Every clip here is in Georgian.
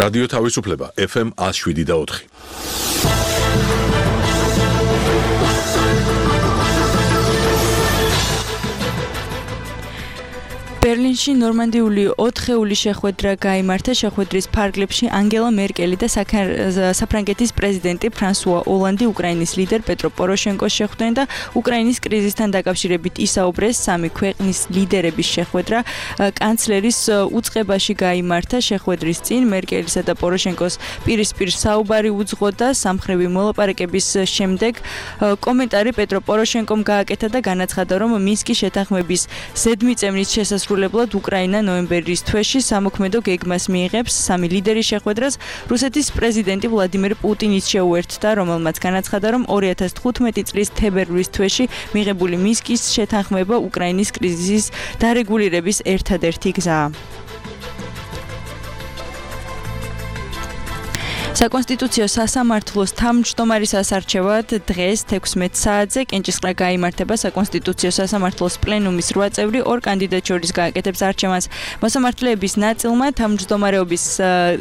რადიო თავისუფლება FM 107.4. ბერლინში ნორმანდიული 4-ეული შეხვედრა გაიმართა. შეხვედრის ფარგლებში ანგელა მერკელი და საფრანგეთის პრეზიდენტი ფრანსუა ოლანდი უკრაინის ლიდერ პეტრო პოროშენკოს შეხვდნენ და უკრაინის კრიზისთან დაკავშირებით ისაუბრეს. სამი ქვეყნის ლიდერების შეხვედრა კანცლერის უწყებაში გაიმართა. შეხვედრის წინ მერკელისა და პოროშენკოს პირისპირ საუბარი უძღოდა. სამხრივი მოლაპარაკების შემდეგ კომენტარი პეტრო პოროშენკომ გააკეთა და განაცხადა, რომ მინსკის შეთანხმების ზედმიწევნის შესასრულებლად უკრაინა ნოემბერის თვეში სამოქმედო გეგმას მიიღებს. სამი ლიდერის შეხვედრას რუსეთის პრეზიდენტი ვლადიმერ პუტინიც შეუერთდა, რომელმაც განაცხადა, რომ 2015 წლის თებერვლის თვეში მიღებული მინსკის შეთანხმება უკრაინის კრიზისის დარეგულირების ერთადერთი გზაა. საკონსტიტუციო სასამართლოს თავმჯდომარის ასარჩევად დღეს 16 საათზე კენჭისყრა გაიმართება. საკონსტიტუციო სასამართლოს პლენუმის 8 წევრი ორ კანდიდატს შორის გააკეთებს არჩევანს. მოსამართლეების ნაწილმა თავმჯდომარეობის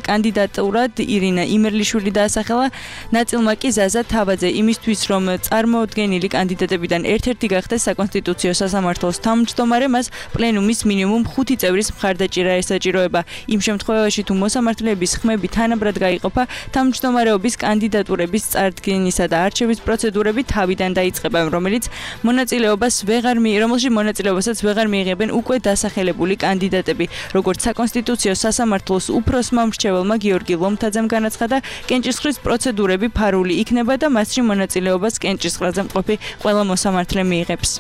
კანდიდატურად ირინა იმერლიშვილი დაასახელა, ნაწილმა კი ზაზა თავაძე, იმისთვის რომ წარმოუდგენელი კანდიდატებიდან ერთ-ერთი გახდეს საკონსტიტუციო სასამართლოს თავმჯდომარე, მას პლენუმის მინიმუმ 5 წევრის მხარდაჭერა ესაჭიროება. იმ შემთხვევაში თუ მოსამართლეების ხმები თანაბრად გაიყოფა, თავმჯდომარეობის კანდიდატურების წარდგენისა და არჩევის პროცედურები თავიდან დაიწყება, რომელშიც მონაწილეობასაც ვეღარ მიიღებენ უკვე დასახელებული კანდიდატები. როგორც საკონსტიტუციო სასამართლოს უფროსმა მრჩეველმა გიორგი ლომთაძემ განაცხადა, კენჭისყრის პროცედურები ფარული იქნება და მასში მონაწილეობას კენჭისყრაზე მყოფი ყველა მოსამართლე მიიღებს.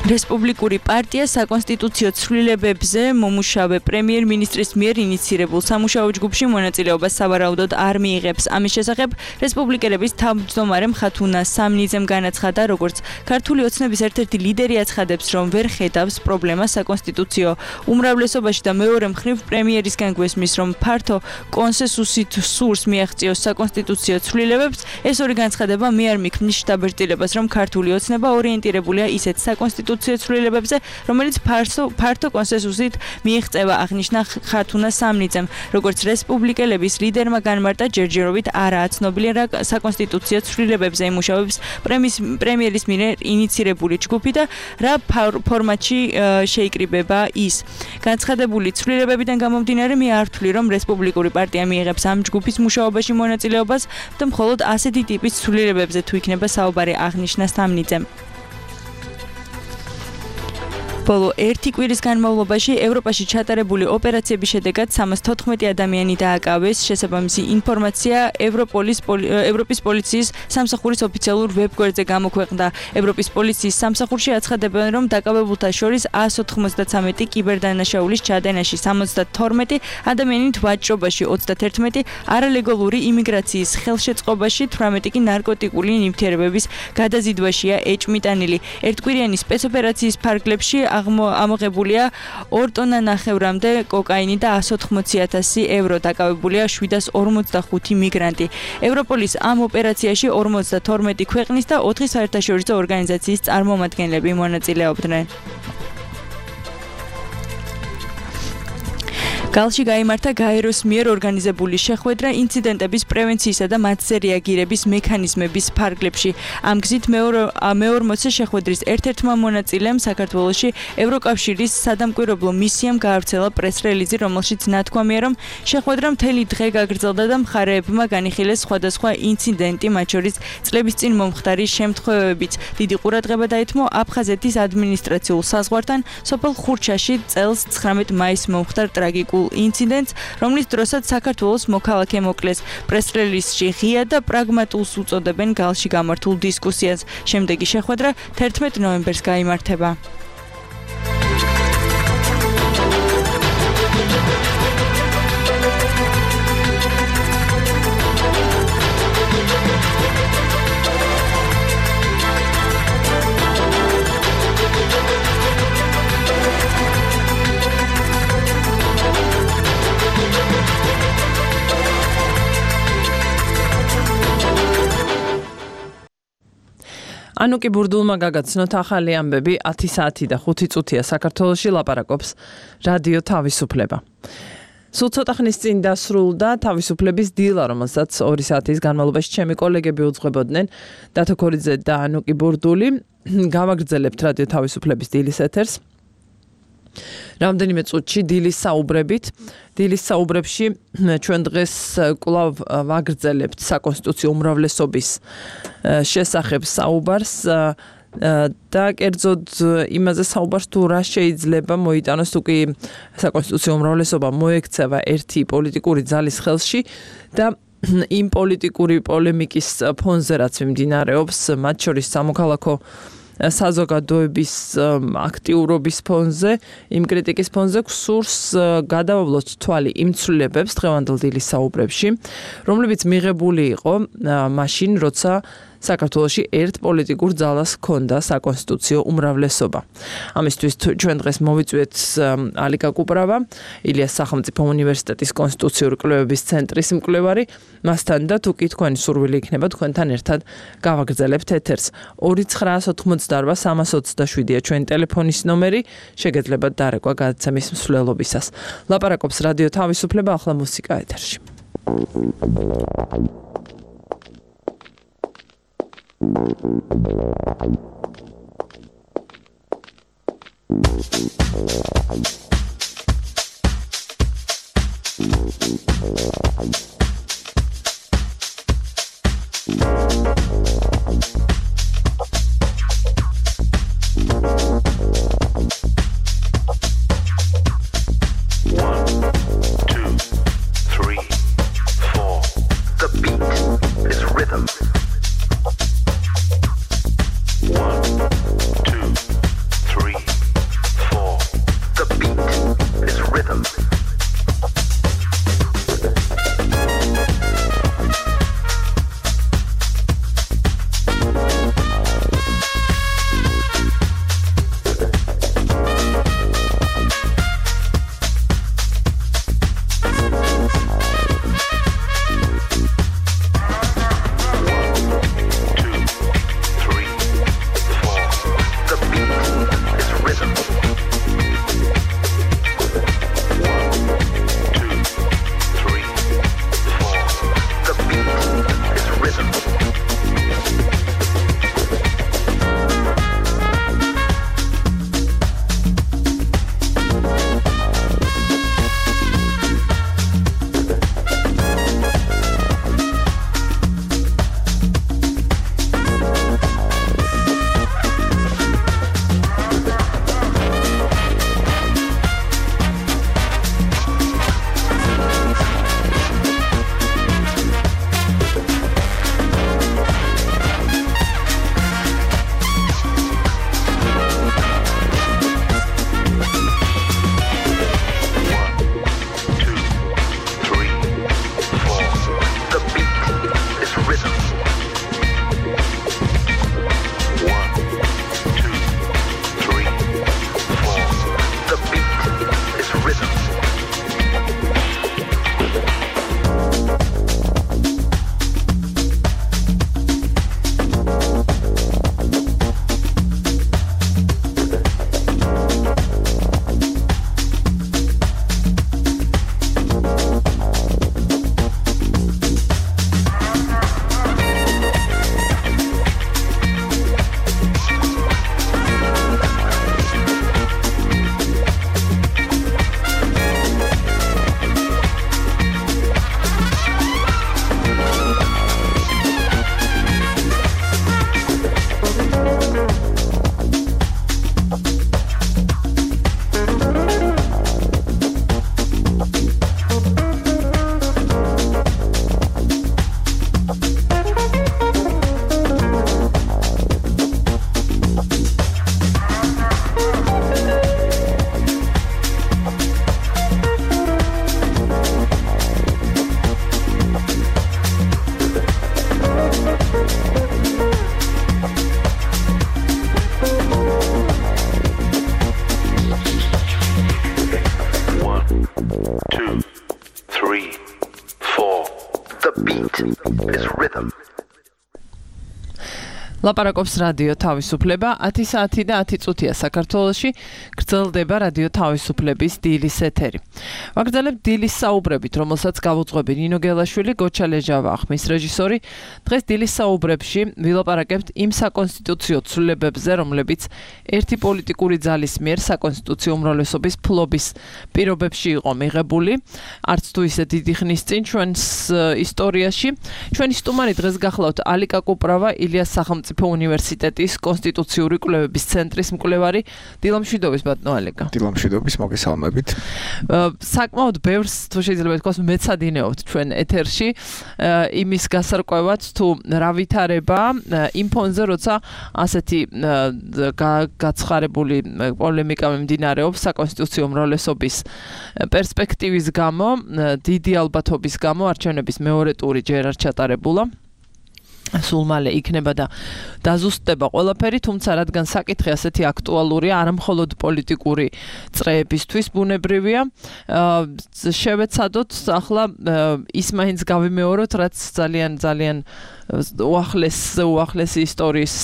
რესპუბლიკური პარტია საკონსტიტუციო ცვლილებებზე მომუშავე პრემიერ-მინისტრის მიერ ინიცირებულ სამუშაო ჯგუფში მონაწილეობას სავარაუდოდ არ მიიღებს. ამის შესახებ რესპუბლიკელების თავმჯდომარე ხათუნა სამნიძემ განაცხადა, როგორც ქართული ოცნების ერთ-ერთი ლიდერი აცხადებს, რომ ვერ ხედავს პრობლემას საკონსტიტუციო უმრავლესობაში და მეორე მხრივ პრემიერისგან გვესმის, რომ ფართო კონსენსუსით სურს მიაღწიოს საკონსტიტუციო ცვლილებებს. ეს ორი განცხადება მე არ მიქმნის შთაბეჭდილებას, რომ ქართული ოცნება ორიენტირებულია ისეთ საკონსტიტუციო ცვლილებებზე, რომელიც ფართო კონსენსუსით მიიღწევა, აღნიშნა ხათუნა სამნიძემ. როგორც რესპუბლიკელების ლიდერმა განმარტა, ჯერჯერობით არაა ცნობილი, რა საკონსტიტუციო ცვლილებებზე იმუშავებს პრემიერის მიერ ინიცირებული ჯგუფი და რა ფორმატში შეიკრიბება ის. განცხადებული ცვლილებებიდან გამომდინარე, მე არ ვთვლი, რომ რესპუბლიკური პარტია მიიღებს ამ ჯგუფის მუშაობაში მონაწილეობას და მხოლოდ ასეთი ტიპის ცვლილებებზე თუ იქნება საუბარი, აღნიშნა სამნიძემ. ბოლო 1 კვირის განმავლობაში ევროპაში ჩატარებული ოპერაციების შედეგად 314 ადამიანი დააკავეს. შესაბამისი ინფორმაცია ევროპის პოლიციის სამსახურის ოფიციალურ ვებგვერდზე გამოქვეყნდა. ევროპის პოლიციის სამსახურში აცხადებენ, რომ დაკავებულთა შორის 193 კიბერდანაშაულის ჩადენაში, 72 ადამიანით ვაჭრობაში, 31 არალეგალური იმიგრაციის ხელშეწყობაში, 18 კი ნარკოტიკული ნივთიერებების გადაზიდვაშია ეჭმიტანილი. ერთკვირიანი სპეცოპერაციის ფარგლებში ამოღებულია 2 ტონა ნახევრამდე კოკაინი და 180,000 евро. დაკავებულია 745 მიგრანტი. ევროპოლის ამ ოპერაციაში 52 ქვეყნის და 4 საერთაშორისო ორგანიზაციის წარმომადგენლები მონაწილეობდნენ. გალში გაიმართა გაეროს მიერ ორგანიზებული შეხვედრა ინციდენტების პრევენციისა და მათზე რეაგირების მექანიზმების ფარგლებში. ამ გზით მეორმოცე შეხვედრის ერთ-ერთმა მონაწილემ საქართველოში ევროკავშირის სადამკვირვებლო მისიამ გაავრცელა პრეს-რელიზი, რომელშიც ნათქვამია, რომ შეხვედრა მთელი დღე გაგრძელდა და მხარეებმა განიხილეს სხვადასხვა ინციდენტი, მათ შორის წლების წინ მომხდარი შემთხვევებიც. დიდი ყურადღება დაეთმო აფხაზეთის ადმინისტრაციულ საზღვართან სოფელ ხურჩაში წელს 19 მაისს მომხდარ ტრაგიკულ ინციდენტს, რომლის დროსაც საქართველოს მოქალაქე მოკლეს. პრეს-რელიზში ღია და პრაგმატულს უწოდებენ გალში გამართულ დისკუსიას. შემდეგი შეხვედრა 11 ნოემბერს გაიმართება. ანუკი ბურდულმა გაგაცნოთ ახალი ამბები 10 საათი და 5 წუთია საქართველოში ლაპარაკობს რადიო თავისუფლება. სულ ცოტა ხნის წინ დასრულდა თავისუფლების დილა, რომელსაც 2 საათის განმავლობაში ჩემი კოლეგები უძღვებოდნენ, დათო ქორიძე და ანუკი ბურდული. გავაგრძელებთ რადიო თავისუფლების დილის ეთერს. რამდენიმე წუთში დილის საუბრებით. დილის საუბრებში ჩვენ დღეს კვლავ ვაგრძელებთ საკონსტიტუციო უმრავლესობის შესახებ საუბარს და კერძოდ იმაზე საუბარს თუ რა შეიძლება მოიტანოს თუ კი საკონსტიტუციო უმრავლესობა მოექცევა ერთი პოლიტიკური ძალის ხელში და იმ პოლიტიკური პოლემიკის ფონზე რაც მიმდინარეობს მათ შორის სამოქალაქო საზოგადოების აქტიურობის ფონზე, იმ კრიტიკის ფონზე გსურს გადავავლოთ თვალი იმ ცვლილებებს დღევანდელ დილის საუბრებში, რომლებიც მიღებული იყო მაშინ, როცა საქართველოში ერთ პოლიტიკურ ძალას ჰქონდა საკონსტიტუციო უმრავლესობა. ამისთვის ჩვენ დღეს მოვიწვიეთ ალიკა კუპრავა, ილიას სახელმწიფო უნივერსიტეტის კონსტიტუციური კვლევების ცენტრის მკვლევარი, მასთან და თუ კი თქვენი სურვილი იქნება თქვენთან ერთად გავაგრძელებთ ეთერს. 2988327-ია ჩვენი ტელეფონის ნომერი, შეგეძლებათ დარეკვა გადაცემის მსვლელობისას. ლაპარაკობს რადიო თავისუფლება, ახლა მუსიკა ეთერში. ლაპარაკობს რადიო თავისუფლება 10 საათი და 10 წუთია საქართველოში გრძელდება რადიო თავისუფლების დილის ეთერი. ვაგრძელებთ დილის საუბრებით, რომელსაც გავუძღვები ნინო გელაშვილი, გოჩა ლეჟავა ხმის რეჟისორი. დღეს დილის საუბრებში ვილაპარაკებთ იმ საკონსტიტუციო ცვლილებებზე, რომლებიც ერთი პოლიტიკური ძალის მიერ საკონსტიტუციო უმრავლესობის ფლობის პირობებში იყო მიღებული. არც თუ ისე დიდი ხნის წინ ჩვენს ისტორიაში. ჩვენი სტუმარი დღეს გახლავთ ალიკა კუპრავა, ილიას სახელმწიფო უნივერსიტეტის კონსტიტუციური კვლევების ცენტრის მკვლევარი. დილამშვიდობის ბატონო ალიკა. დილამშვიდობის, მოგესალმებით. საკმაოდ ბევრს თუ შეიძლება თქვას მეცადინეობთ ჩვენ ეთერში იმის გასარკვევად თუ რა ვითარება იმ ფონზე, როცა ასეთი გაცხარებული პოლემიკა მიმდინარეობს საკონსტიტუციო უმრავლესობის პერსპექტივის გამო, დიდი ალბათობის გამო არჩევნების მეორე ტური ჯერ არ ჩატარებულა. სულ მალე იქნება და დაზუსტდება ყველაფერი, თუმცა რადგან საკითხი ასეთი აქტუალურია, არა მხოლოდ პოლიტიკური წრეებისთვის ბუნებრივია, შევეცადოთ ახლა ის მაინც გავიმეოროთ, რაც ძალიან უახლესი ისტორიის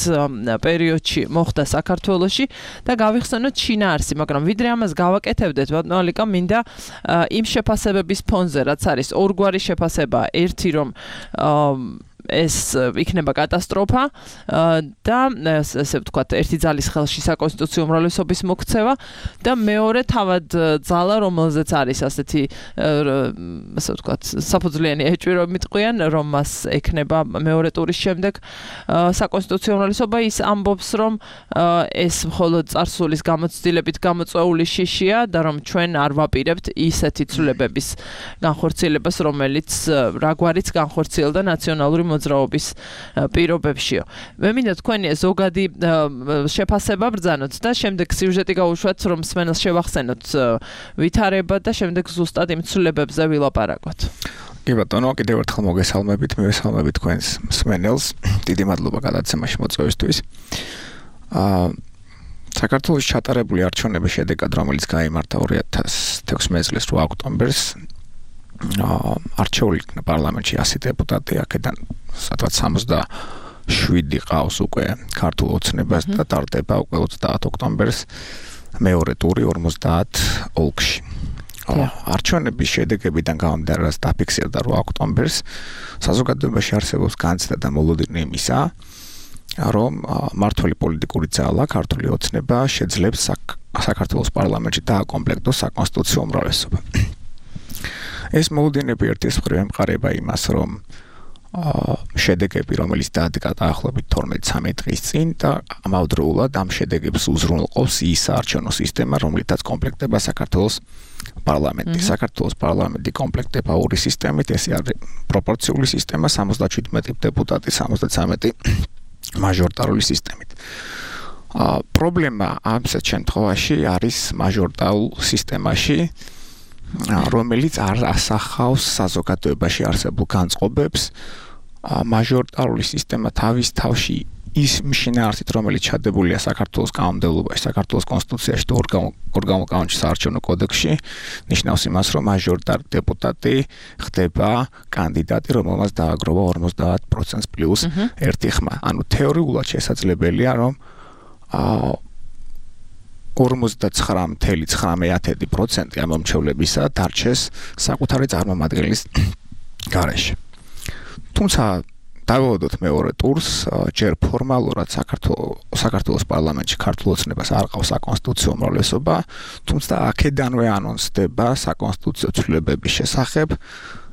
პერიოდში მოხდა საქართველოში და გავიხსენოთ შინაარსი, მაგრამ ვიდრე ამას გავაკეთებდეთ, ბატონო ალიკა, მინდა იმ შეფასებების ფონზე, რაც არის ორგვარი შეფასება, ერთი რომ ეს იქნება კატასტროფა და ესე ვთქვათ, ერთი ძალის ხელში საკონსტიტუციო უმრავლესობის მოქცევა და მეორე თავად ძალა, რომელზეც არის ასეთი ასე ვთქვათ, საფუძვლიანი ეჭვი რომ მიტყვიან, რომ მას ექნება მეორე ტურის შემდეგ საკონსტიტუციო უმრავლესობა, ის ამბობს, რომ ეს მხოლოდ წარსულის გამოცდილებით გამოწვეული შიშია და რომ ჩვენ არ ვაპირებთ ისეთი ცვლილებების განხორციელებას, რომელიც რაგვარიც განხორციელდა ნაციონალური მოძრაობის პირობებშიო. მე მინდა თქვენი ზოგადი შეფასება ბრძანოთ და შემდეგ სიუჟეტი გავუშვათ, რომ მსმენელს შევახსენოთ ვითარება და შემდეგ ზუსტად იმ ცვლილებებზე ვილაპარაკოთ. კი ბატონო, კიდევ ერთხელ მოგესალმებით, მივესალმებით თქვენს მსმენელს. დიდი მადლობა გადაცემაში მოწვევისთვის. საქართველოს ჩატარებული არჩევნების შედეგად, რომელიც გაიმართა 2016 წლის 8 ოქტომბერს, არჩეული იქნა პარლამენტში 100 დეპუტატი, აქედან სადღაც 67 ყავს უკვე ქართულ ოცნებას და ტარდება უკვე 30 ოქტომბერს მეორე ტური 50 ოლქში. არჩევნების შედეგებიდან გამომდინარე, რაც დაფიქსირდა 8 ოქტომბერს, საზოგადოებაში არსებობს განცდა და მოლოდინი იმისა, რომ მმართველი პოლიტიკური ძალა, ქართული ოცნება შეძლებს საქართველოს პარლამენტში დააკომპლექტოს საკონსტიტუციო უმრავლესობა. ეს მოლოდინები ერთის მხრივ ემყარება იმას, რომ შედეგები, რომელიც დაადგა დაახლოებით 12-13 დღის წინ და ამავდროულად ამ შედეგებს უზრუნველყოფს ის საარჩევნო სისტემა, რომლითაც კომპლექტდება საქართველოს პარლამენტი. საქართველოს პარლამენტი კომპლექტდება ორი სისტემით, ესე არის პროპორციული სისტემა 77 დეპუტატი, 73 მაჟორიტარული სისტემით. პრობლემა ამ შემთხვევაში არის მაჟორიტარულ სისტემაში, რომელიც არ ასახავს საზოგადოებაში არსებულ განწყობებს. მაჟორიტარული სისტემა თავის თავში ის შინაარსით, რომელიც ჩადებულია საქართველოს კანონმდებლობაში, საქართველოს კონსტიტუციაში და ორგანულ კანონში, საარჩევნო კოდექსში, ნიშნავს იმას, რომ მაჟორიტარი დეპუტატი ხდება კანდიდატი, რომელმაც დააგროვა 50% პლუს ერთი ხმა. ანუ თეორიულად შესაძლებელია, რომ 49.9% ამ მომრჩევლებისა დარჩეს საკუთარი წარმომადგენლის გარეშე. თუმცა დავაოდოთ მეორე ტურს, ჯერ ფორმალურად საქართველოს პარლამენტში ქართულ ოცნებას არ ყავს საკონსტიტუციო უმრავლესობა, თუმცა აქედანვე ანონსდება საკონსტიტუციო ცვლილებების შესახებ,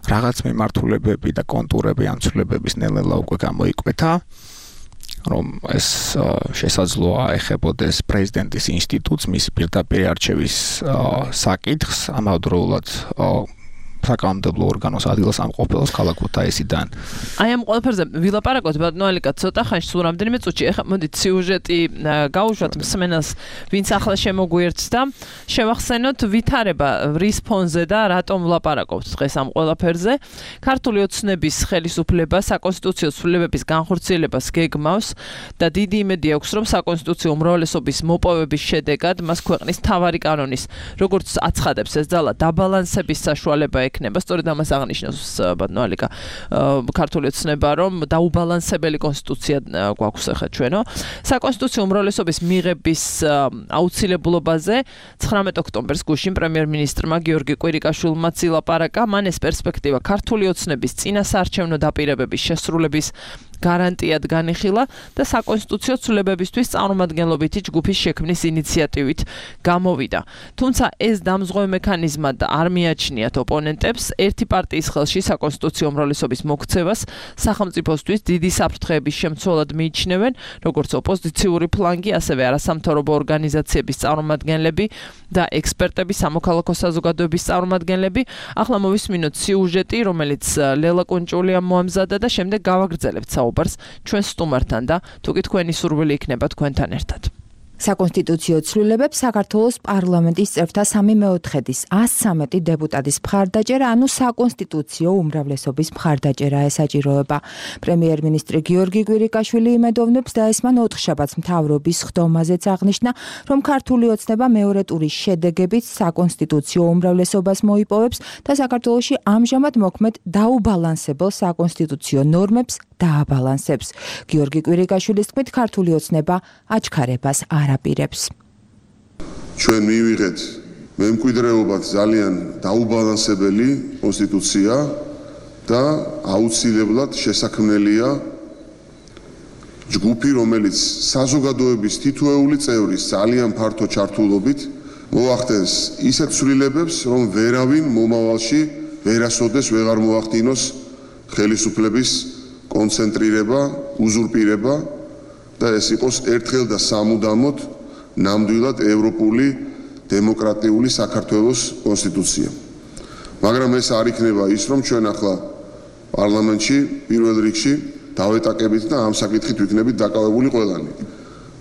რაღაც მიმართულებები და კონტურები ამ ცვლილებების ნელ-ნელა უკვე გამოიკვეთა, რომ ეს შესაძლოა ეხებოდეს პრეზიდენტის ინსტიტუტს, მისი პირდაპირ არჩევის საკითხს, ამავდროულად საკანონმდებლო ორგანოს ადგილსამყოფელს ქალაქ ქუთაისიდან. აი ამ ყველაფერზე ვილაპარაკოთ, ბატონო ალიკა, ცოტა ხანში, სულ რამდენიმე წუთში. ეხლა მოდით სიუჟეტი გავუშვათ მსმენელს, ვინც ახლა შემოგვიერთს და შევახსენოთ ვითარება რის ფონზე და რატომ ვლაპარაკობთ დღეს ამ ყველაფერზე. ქართული ოცნების ხელისუფლება საკონსტიტუციო ცვლილებების განხორციელებას გეგმავს და დიდი იმედი აქვს, რომ საკონსტიტუციო უმრავლესობის მოპოვების შედეგად მას ქვეყნის მთავარი კანონის, როგორც აცხადებს ეს ძალა, დაბალანსების საშუალება ექნება. სწორედ ამას აღნიშნავს ბატონო ალიკა ქართული ოცნება, რომ დაუბალანსებელი კონსტიტუცია გვაქვს ახლა ჩვენო. საკონსტიტუციო უმრავლესობის მიღების აუცილებლობაზე 19 ოქტომბერს გუშინ პრემიერ-მინისტრმა გიორგი კვირიკაშვილმა ცილაპარაკა. მან ეს პერსპექტივა ქართული ოცნების წინასაარჩევნო დაპირებების შესრულების გარანტიად განიხილა და საკონსტიტუციო ცვლილებებისთვის წარმომადგენლობითი ჯგუფის შექმნის ინიციატივით გამოვიდა. თუმცა ეს დამზღვევ მექანიზმად არ მიაჩნიათ ოპონენტებს. ერთი პარტიის ხელში საკონსტიტუციო უმრავლესობის მოქცევას სახელმწიფოსთვის დიდი საფრთხეების შემცველად მიიჩნევენ, როგორც ოპოზიციური ფლანგი, ასევე არასამთავრობო ორგანიზაციების წარმომადგენლები და ექსპერტები, სამოქალაქო საზოგადოების წარმომადგენლები. ახლა მოვისმინოთ სიუჟეტი, რომელიც ლელა კუნჭულიამ მოამზადა და შემდეგ გავაგრძელებთ საუბარს ჩვენ სტუმართან და თუკი თქვენი სურვილი იქნება თქვენთან ერთად. საკონსტიტუციო ცვლილებებს საქართველოს პარლამენტის წევრთა 3/4-ის 113 დეპუტატის მხარდაჭერა, ანუ საკონსტიტუციო უმრავლესობის მხარდაჭერა ესაჭიროება. პრემიერ-მინისტრი გიორგი კვირიკაშვილი იმედოვნებს და ესმან ოთხშაბათს მთავრობის ხდომაზეც აღნიშნა, რომ ქართული ოცნება მეორე ტურის შედეგებით საკონსტიტუციო უმრავლესობას მოიპოვებს და საქართველოში ამჟამად მოქმედ დაუბალანსებელ საკონსტიტუციო ნორმებს დააბალანსებს. გიორგი კვირიკაშვილის თქმით, ქართული ოცნება აჩქარებას არაპირებს. ჩვენ მივიღეთ მემკვიდრეობად ძალიან დაუბალანსებელი კონსტიტუცია და აუცილებლად შესაქმნელია ჯგუფი, რომელიც საზოგადოების თითოეული წევრის ძალიან ფართო ჩართულობით მოახდენს ისეთ ცვლილებებს, რომ ვერავინ მომავალში ვერასოდეს ვეღარ მოახდინოს ხელისუფლების კონცენტრირება, უზურპირება და ეს იყოს ერთხელ და სამუდამოდ ნამდვილად ევროპული დემოკრატიული საქართველოს კონსტიტუცია. მაგრამ ეს არ იქნება ის, რომ ჩვენ ახლა პარლამენტში პირველ რიგში დავეტაკებით და ამ საკითხით ვიქნებით დაკავებული ყველანი.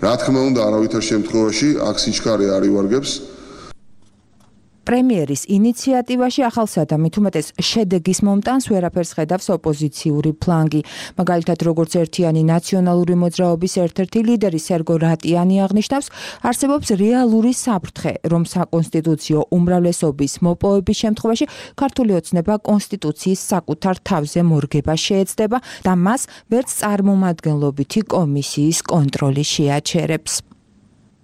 რა თქმა უნდა, არავითარ შემთხვევაში აქ სიჩქარე არ ივარგებს. პრემიერის ინიციატივაში ახალსა და მით უმეტეს შედეგის მომტანს ვერაფერს ხედავს ოპოზიციური ფლანგი. მაგალითად, როგორც ერთიანი ნაციონალური მოძრაობის ერთ-ერთი ლიდერი სერგო რატიანი აღნიშნავს, არსებობს რეალური საფრთხე, რომ საკონსტიტუციო უმრავლესობის მოპოვების შემთხვევაში ქართული ოცნება კონსტიტუციის საკუთარ თავზე მორგება შეეცდება და მას ვერც წარმომადგენლობითი კომისიის კონტროლი შეაჩერებს.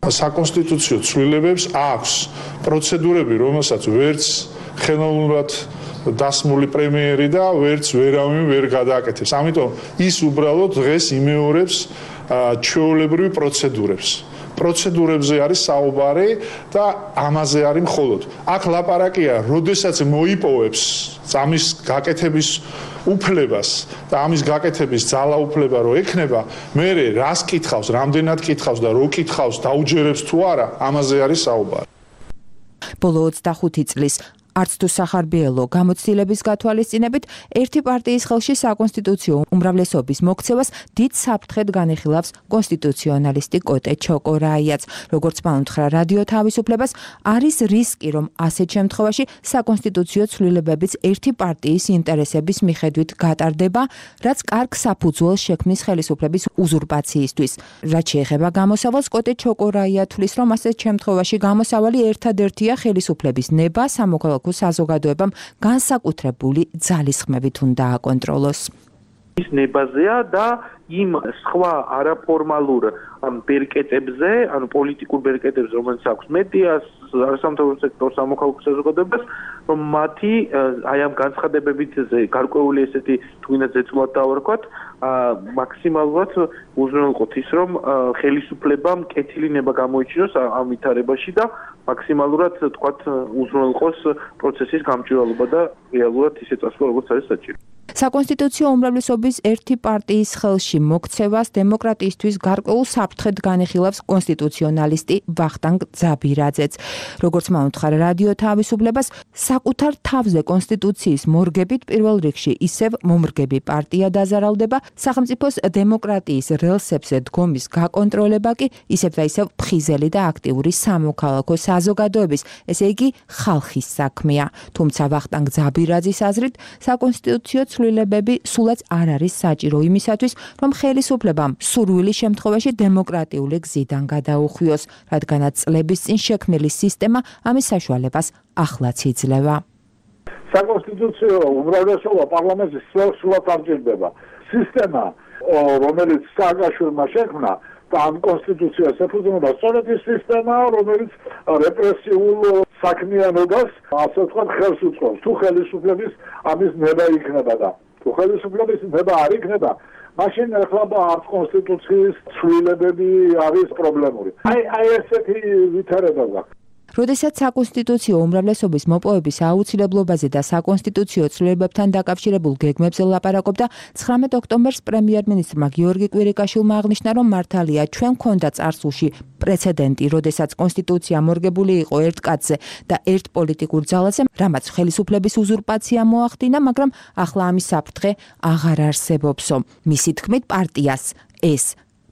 საკონსტიტუციო ცვლილებებს აქვს პროცედურები, რომელსაც ვერც ხელოვნურად დასმული პრემიერი და ვერც ვერავინ ვერ გადააკეთებს. ამიტომ ის უბრალოდ დღეს იმეორებს ჩვეულებრივ პროცედურებს. პროცედურებზე არის საუბარი და ამაზე არის მხოლოდ. აქ ლაპარაკია, როდესაც მოიპოვებს ამის გაკეთების უფლებას და ამის გაკეთების ძალაუფლება რო ექნება, მერე რას კითხავს, რამდენად კითხავს და რო კითხავს, დაუჯერებს თუ არა, ამაზე არის საუბარი. ბოლო 25 წლის არც თუ სახარბიელო გამოცდილების გათვალისწინებით ერთი პარტიის ხელში საკონსტიტუციო უმრავლესობის მოქცევას დიდ საფრთხედ განიხილავს კონსტიტუციონალისტი კოტე ჩოკორაიაც. როგორც მან უთხრა რადიო თავისუფლებას, არის რისკი, რომ ასეთ შემთხვევაში საკონსტიტუციო ცვლილებებიც ერთი პარტიის ინტერესების მიხედვით გატარდება, რაც კარგ საფუძველს შექმნის ხელისუფლების უზურპაციისთვის. რაც შეეხება გამოსავალს, კოტე ჩოკორაია თვლის, რომ ასეთ შემთხვევაში გამოსავალი ერთადერთია ხელისუფლების ნება სამოქალაქო საზოგადოებამ განსაკუთრებული ძალისხმევით უნდა აკონტროლოს. ის ნებაზეა და იმ სხვა არაფორმალურ ბერკეტებზე, ანუ პოლიტიკურ ბერკეტებზე, რომელიც აქვს მედიას, არასამთავრობო სექტორს, სამოქალაქო საზოგადოებას, რომ მათი აი ამ განცხადებებით გარკვეული ესეთი თუნდაც ზეწულად დავარქვათ, მაქსიმალურად უზრუნველყოთ ის, რომ ხელისუფლებამ კეთილი ნება გამოიჩინოს ამ ვითარებაში და მაქსიმალურად თქვათ უზრუნველყოს პროცესის გამჭვირვალობა და რეალურად ისე წასვლა, როგორც არის საჭირო. საკონსტიტუციო უმრავლესობის ერთი პარტიის ხელში მოქცევას დემოკრატიისთვის გარკვეულ საფრთხედ განიხილავს კონსტიტუციონალისტი ვახტანგ ძაბირაძეც. როგორც მან უთხრა რადიო თავისუფლებას, საკუთარ თავზე კონსტიტუციის მორგებით პირველ რიგში ისევ მომრგები პარტია დაზარალდება, სახელმწიფოს დემოკრატიის რელსებზე დგომის გაკონტროლება კი ისევ და ისევ ფხიზელი და აქტიური სამოქალაქო საზოგადოების, ესე იგი ხალხის საქმეა. თუმცა ვახტანგ ძაბირაძის აზრით, საკონსტიტუციო ცვლილებები სულაც არ არის საჭირო იმისათვის, რომ ხელისუფლებამ სურვილის შემთხვევაში დემოკრატიული გზიდან გადაუხვიოს, რადგანაც წლების წინ შექმნილი სისტემა ამის საშუალებას ახლაც იძლევა. საკონსტიტუციო უმრავლესობა პარლამენტის სრულად არ ჭირდება. სისტემა, რომელიც სააკაშვილმა შექმნა და ამ კონსტიტუციას ეფუძნება სწორედ ის სისტემაა, რომელიც რეპრესიულ საქმიანობას, ასე ვთქვათ, ხელს უწყობს. თუ ხელისუფლების ამის ნება იქნება და თუ ხელისუფლების ნება არ იქნება, მაშინ ახლა ამ კონსტიტუციის ცვლილებები არის პრობლემური. აი ესეთი ვითარება გვაქვს. როდესაც საკონსტიტუციო უმრავლესობის მოპოვების აუცილებლობაზე და საკონსტიტუციო ცვლილებებთან დაკავშირებულ გეგმებზე ლაპარაკობდა 19 ოქტომბერს პრემიერ-მინისტრმა გიორგი კვირიკაშვილმა აღნიშნა, რომ მართალია ჩვენ გვქონდა წარსულში პრეცედენტი, როდესაც კონსტიტუცია მორგებული იყო ერთ კაცზე და ერთ პოლიტიკურ ძალაზე, რამაც ხელისუფლების უზურპაცია მოახდინა, მაგრამ ახლა ამის საფრთხე აღარ არსებობსო. მისი თქმით, პარტიას ეს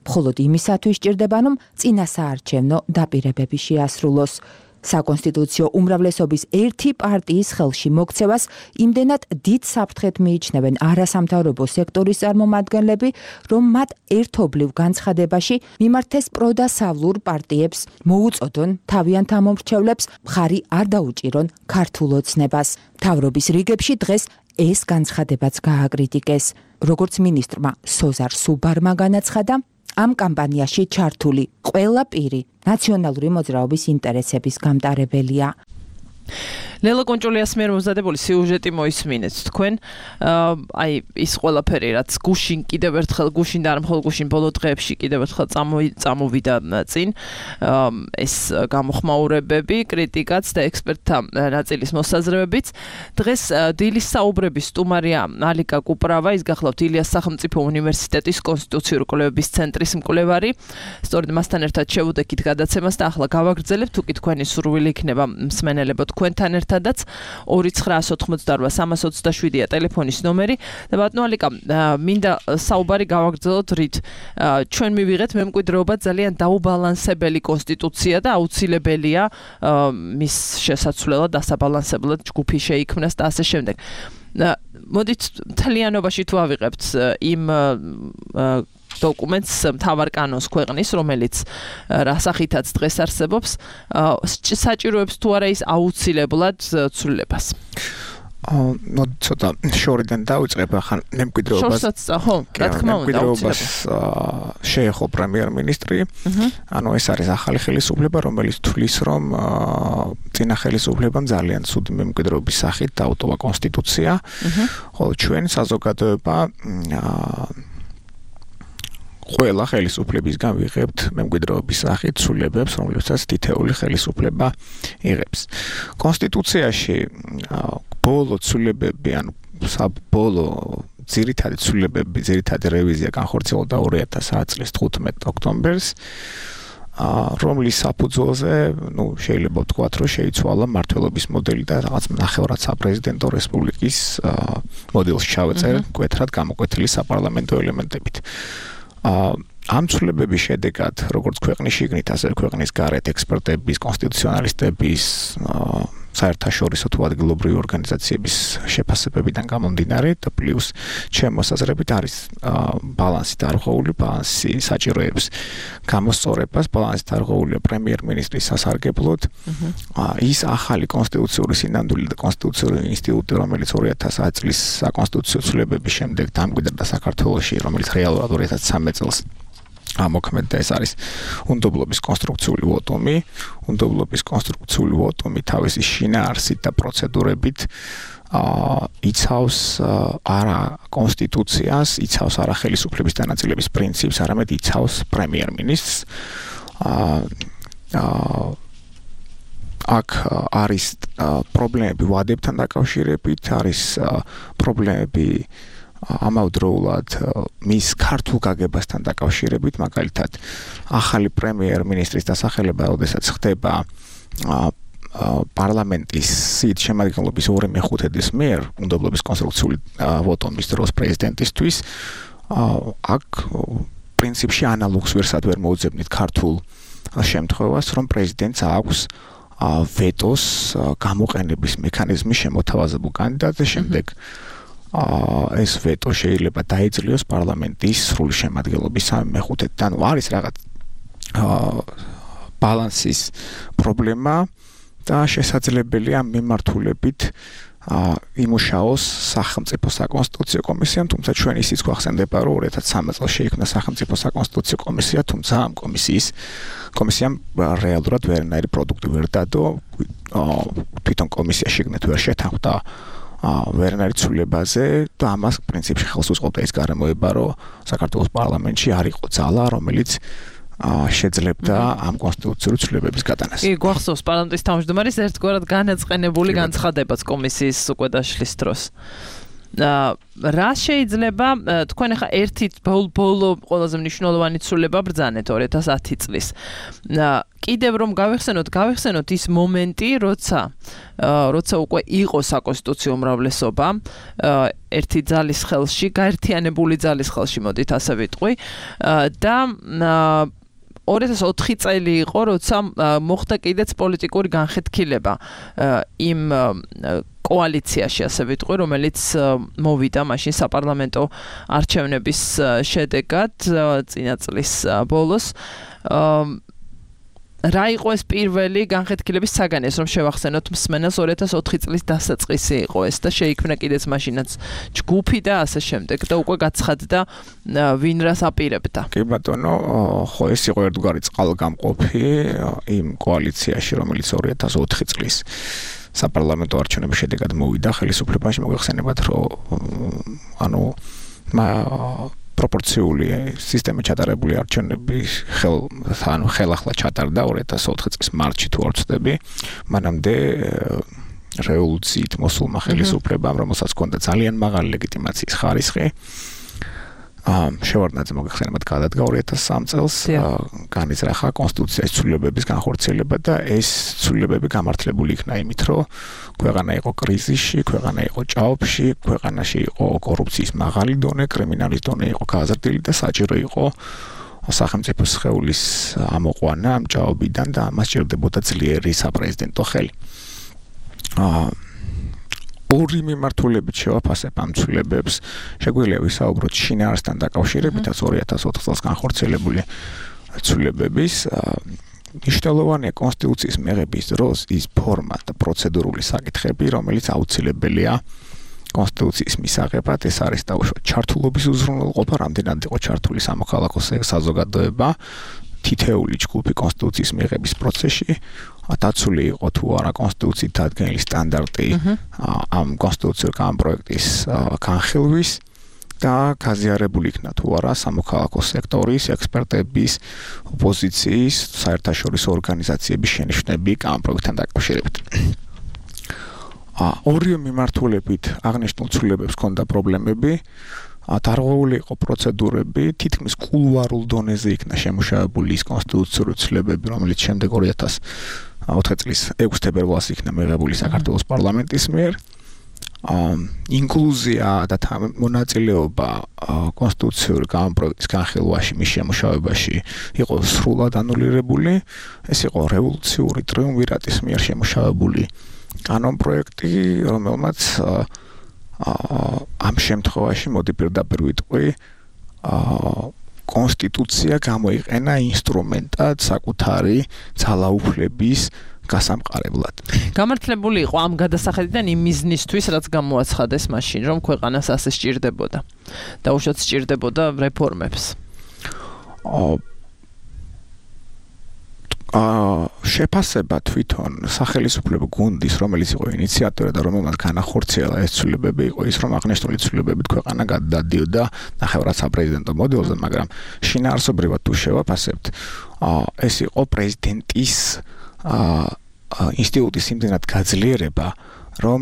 მხოლოდ იმისათვის სჭირდება, რომ წინასაარჩევნო დაპირებები შეასრულოს. საკონსტიტუციო უმრავლესობის ერთი პარტიის ხელში მოქცევას იმდენად დიდ საფრთხედ მიიჩნევენ არასამთავრობო სექტორის წარმომადგენლები, რომ მათ ერთობლივ განცხადებაში მიმართეს პროდასავლურ პარტიებს, მოუწოდონ თავიანთ ამომრჩევლებს მხარი არ დაუჭირონ ქართულ ოცნებას. მთავრობის რიგებში დღეს ეს განცხადებაც გააკრიტიკეს. როგორც მინისტრმა სოზარ სუბარმა განაცხადა, ამ კამპანიაში ჩართული ყველა პირი ნაციონალური მოძრაობის ინტერესების გამტარებელია. ლელა კონჭოლიას მიერ მომზადებული სიუჟეტი მოისმინეთ თქვენ. აი ის ყველაფერი რაც გუშინ კიდევ ერთხელ გუშინ და არ მხოლოდ გუშინ ბოლო დღეებში კიდევ ერთხელ წამოვიდა წინ. ეს გამოხმაურებები, კრიტიკაც და ექსპერტთა ნაწილის მოსაზრებებიც. დღეს დილის საუბრების სტუმარია ალიკა კუპრავა, ის გახლავთ ილიას სახელმწიფო უნივერსიტეტის კონსტიტუციური კვლევების ცენტრის მკვლევარი. სწორედ მასთან ერთად შევუდექით გადაცემას და ახლა გავაგრძელებთ, თუ კი თქვენი სურვილი იქნება მსმენელებო თქვენთან ერთადაც 2988327-ია ტელეფონის ნომერი და ბატონო ალიკა მინდა საუბარი გავაგრძელოთ რით ჩვენ მივიღეთ მემკვიდრეობა ძალიან დაუბალანსებელი კონსტიტუცია და აუცილებელია მის შესაცვლელად დასაბალანსებლად ჯგუფი შეიქმნას და ასე შემდეგ. მოდით მთლიანობაში თუ ავიღებთ იმ დოკუმენტს მთავარ კანონს ქვეყნის, რომელიც რასახითაც დღეს არსებობს, საჭიროებს თუ არა ის აუცილებლად ცვლილებას. ნუ ცოტა შორიდან დავიწყებ ახლა მემკვიდრეობას. ხო, რა თქმა უნდა, მემკვიდრეობას შეეხო პრემიერ-მინისტრი. ანუ ეს არის ახალი ხელისუფლება, რომელიც თვლის, რომ წინა ხელისუფლებამ ძალიან ცუდი მემკვიდრეობის სახით დაუტოვა კონსტიტუცია. ხოლო ჩვენ საზოგადოება ყველა ხელისუფლებისგან ვიღებთ მემკვიდრეობის სახით ცვლილებებს, რომლებსაც თითეული ხელისუფლება იღებს. კონსტიტუციაში ბოლო ცვლილებები, ანუ საბოლოო ძირითადი ცვლილებები, ძირითადი რევიზია განხორციელდა 2010 წლის 15 ოქტომბერს, რომლის საფუძველზე, შეიძლება ვთქვათ, რომ შეიცვალა მმართველობის მოდელი და რაღაც ნახევრად საპრეზიდენტო რესპუბლიკის მოდელს ჩავეწერ, მკვეთრად გამოკვეთილი საპარლამენტო ელემენტებით. ამ ცვლილებების შედეგად, როგორც ქვეყნის შიგნით, ასევე ქვეყნის გარეთ ექსპერტების, კონსტიტუციონალისტების, საერთაშორისო თუ ადგილობრივი ორგანიზაციების შეფასებებიდან გამომდინარე და პლუს ჩემს მოსაზრებით არის ბალანსი დარღვეული, ბალანსი საჭიროებს გამოსწორებას, ბალანსი დარღვეულია პრემიერ-მინისტრის სასარგებლოდ. ის ახალი კონსტიტუციური სინამდვილე და კონსტიტუციური ინსტიტუტი, რომელიც 2010 წლის საკონსტიტუციო ცვლილებების შემდეგ დამკვიდრდა საქართველოში, რომელიც რეალურად 2013 წელს ამოქმედდა, ეს არის უნდობლობის კონსტრუქციული ვოტუმი. უნდობლობის კონსტრუქციული ვოტუმი თავისი შინაარსით და პროცედურებით იცავს არა კონსტიტუციას, იცავს არა ხელისუფლების დანაწილების პრინციპს, არამედ იცავს პრემიერ-მინისტრს. აქ არის პრობლემები ვადებთან დაკავშირებით, არის პრობლემები ამავდროულად მის ქართულ გაგებასთან დაკავშირებით, მაგალითად, ახალი პრემიერ-მინისტრის დასახელება, როდესაც ხდება პარლამენტის სიით შემადგენლობის 2/5-ის მიერ უნდობლობის კონსტრუქციული ვოტუმის დროს პრეზიდენტისთვის, აქ პრინციპში ანალოგს ვერ მოუძებნით ქართულ შემთხვევას, რომ პრეზიდენტს აქვს ვეტოს გამოყენების მექანიზმი შემოთავაზებულ კანდიდატზე, შემდეგ ეს ვეტო შეიძლება დაეძლიოს პარლამენტის სრული შემადგენლობის 3/5-ით. ანუ არის რაღაც ბალანსის პრობლემა და შესაძლებელია მიმართულებით იმუშაოს სახელმწიფო საკონსტიტუციო კომისიამ, თუმცა ჩვენ ისიც გვახსენდება, რომ 2013 წელს შეიქმნა სახელმწიფო საკონსტიტუციო კომისია, თუმცა ამ კომისიამ რეალურად ვერანაირი პროდუქტი ვერ დადო, თვითონ კომისია შიგნით ვერ შეთანხმდა ვერანაირი ცვლილებაზე და ამას პრინციპში ხელს უწყობდა ის გარემოება, რომ საქართველოს პარლამენტში არ იყო ძალა, რომელიც შეძლებდა ამ კონსტიტუციური ცვლილებების გატანას. კი, გვახსოვს პარლამენტის თავმჯდომარის ერთგვარად განაწყენებული განცხადებაც კომისიის უკვე დაშლის დროს. რა შეიძლება თქვენ ახლა ერთი ბოლო ყველაზე მნიშვნელოვანი ცვლილება ბრძანეთ 2010 წლის. კიდევ რომ გავიხსენოთ ის მომენტი, როცა უკვე იყო საკონსტიტუციო უმრავლესობა ერთი ძალის ხელში, გაერთიანებული ძალის ხელში, მოდით ასე ვიტყვი, და 2004 წელი იყო, როცა მოხდა კიდეც პოლიტიკური განხეთქილება იმ კოალიციაში, ასე ვიტყვი, რომელიც მოვიდა მაშინ საპარლამენტო არჩევნების შედეგად წინა წლის ბოლოს. რა იყო ეს პირველი განხეთქილების საგანი, რომ შევახსენოთ მსმენელს 2004 წლის დასაწყისი იყო ეს და შეიქმნა კიდეც მაშინაც ჯგუფი და ასე შემდეგ და უკვე გაცხადდა ვინ რას აპირებდა. კი ბატონო, ხო ეს იყო ერთგვარი წყალგამყოფი იმ კოალიციაში, რომელიც 2004 წლის საპარლამენტო არჩევნების შედეგად მოვიდა ხელისუფლებაში. მოგეხსენებათ, რომ პროპორციული სისტემა ჩატარებული არჩევნების ხელახლა ჩატარდა 2004 წლის მარტში თუ არ ვცდები, მანამდე რევოლუციით მოსულმა ხელისუფლებამ, რომელსაც ჰქონდა ძალიან მაღალი ლეგიტიმაციის ხარისხი, შევარდნაძე მოგეხსენებათ გადადგა 2003 წელს, განიზრახა კონსტიტუციის ცვლილებების განხორციელება და ეს ცვლილებები გამართლებული იქნა იმით, რომ ქვეყანა იყო კრიზისში, ქვეყანა იყო ჭაობში, ქვეყანაში იყო კორუფციის მაღალი დონე, კრიმინალის დონე იყო გაზრდილი და საჭირო იყო სახელმწიფო სხეულის ამოყვანა ამ ჭაობიდან და ამას სჭირდებოდა ძლიერი საპრეზიდენტო ხელი. ორი მიმართულებით შევაფასებ ამ ცვლილებებს. შეგვიძლია ვისაუბროთ შინაარსთან დაკავშირებითაც 2004 წელს განხორციელებული ცვლილებების. მნიშვნელოვანია კონსტიტუციის მიღების დროს ის ფორმა და პროცედურული საკითხები, რომელიც აუცილებელია კონსტიტუციის მისაღებად. ეს არის დაუშვათ ჩართულობის უზრუნველყოფა, რამდენად იყო ჩართული სამოქალაქო საზოგადოება თითეული ჯგუფი კონსტიტუციის მიღების პროცესში, დაცული იყო თუ არა კონსტიტუციით დადგენილი სტანდარტი ამ კონსტიტუციური კანონპროექტის განხილვის და გაზიარებული იქნა თუ არა სამოქალაქო სექტორის, ექსპერტების, ოპოზიციის, საერთაშორისო ორგანიზაციების შენიშვნები კანონპროექტთან დაკავშირებით. ორივე მიმართულებით აღნიშნულ ცვლილებებს ჰქონდა პრობლემები. დარღვეული იყო პროცედურები, თითქმის კულუარულ დონეზე იქნა შემუშავებული ის კონსტიტუციური ცვლილებები, რომელიც შემდეგ 2004 წლის 6 თებერვალს იქნა მიღებული საქართველოს პარლამენტის მიერ. ინკლუზია და მონაწილეობა კონსტიტუციური კანონპროექტის განხილვაში, მის შემუშავებაში იყო სრულად ანულირებული. ეს იყო რევოლუციური ტრიუმვირატის მიერ შემუშავებული კანონპროექტი, რომელმაც ამ შემთხვევაში მოდი პირდაპირ ვიტყვი, კონსტიტუცია გამოიყენა ინსტრუმენტად საკუთარი ძალაუფლების გასამყარებლად. გამართლებული იყო ამ გადასახედიდან იმ მიზნისთვის, რაც გამოაცხადეს მაშინ, რომ ქვეყანას ასე სჭირდებოდა და უშუალოდ სჭირდებოდა რეფორმებს. შეფასება თვითონ სახელისუფლებო გუნდის, რომელიც იყო ინიციატორი და რომელმაც განახორციელა ეს ცვლილებები, იყო ის, რომ აღნიშნული ცვლილებებით ქვეყანა გადადიოდა ნახევრად საპრეზიდენტო მოდელზე, მაგრამ შინაარსობრივად თუ შევაფასებთ, ეს იყო პრეზიდენტის ინსტიტუტის იმდენად გაძლიერება, რომ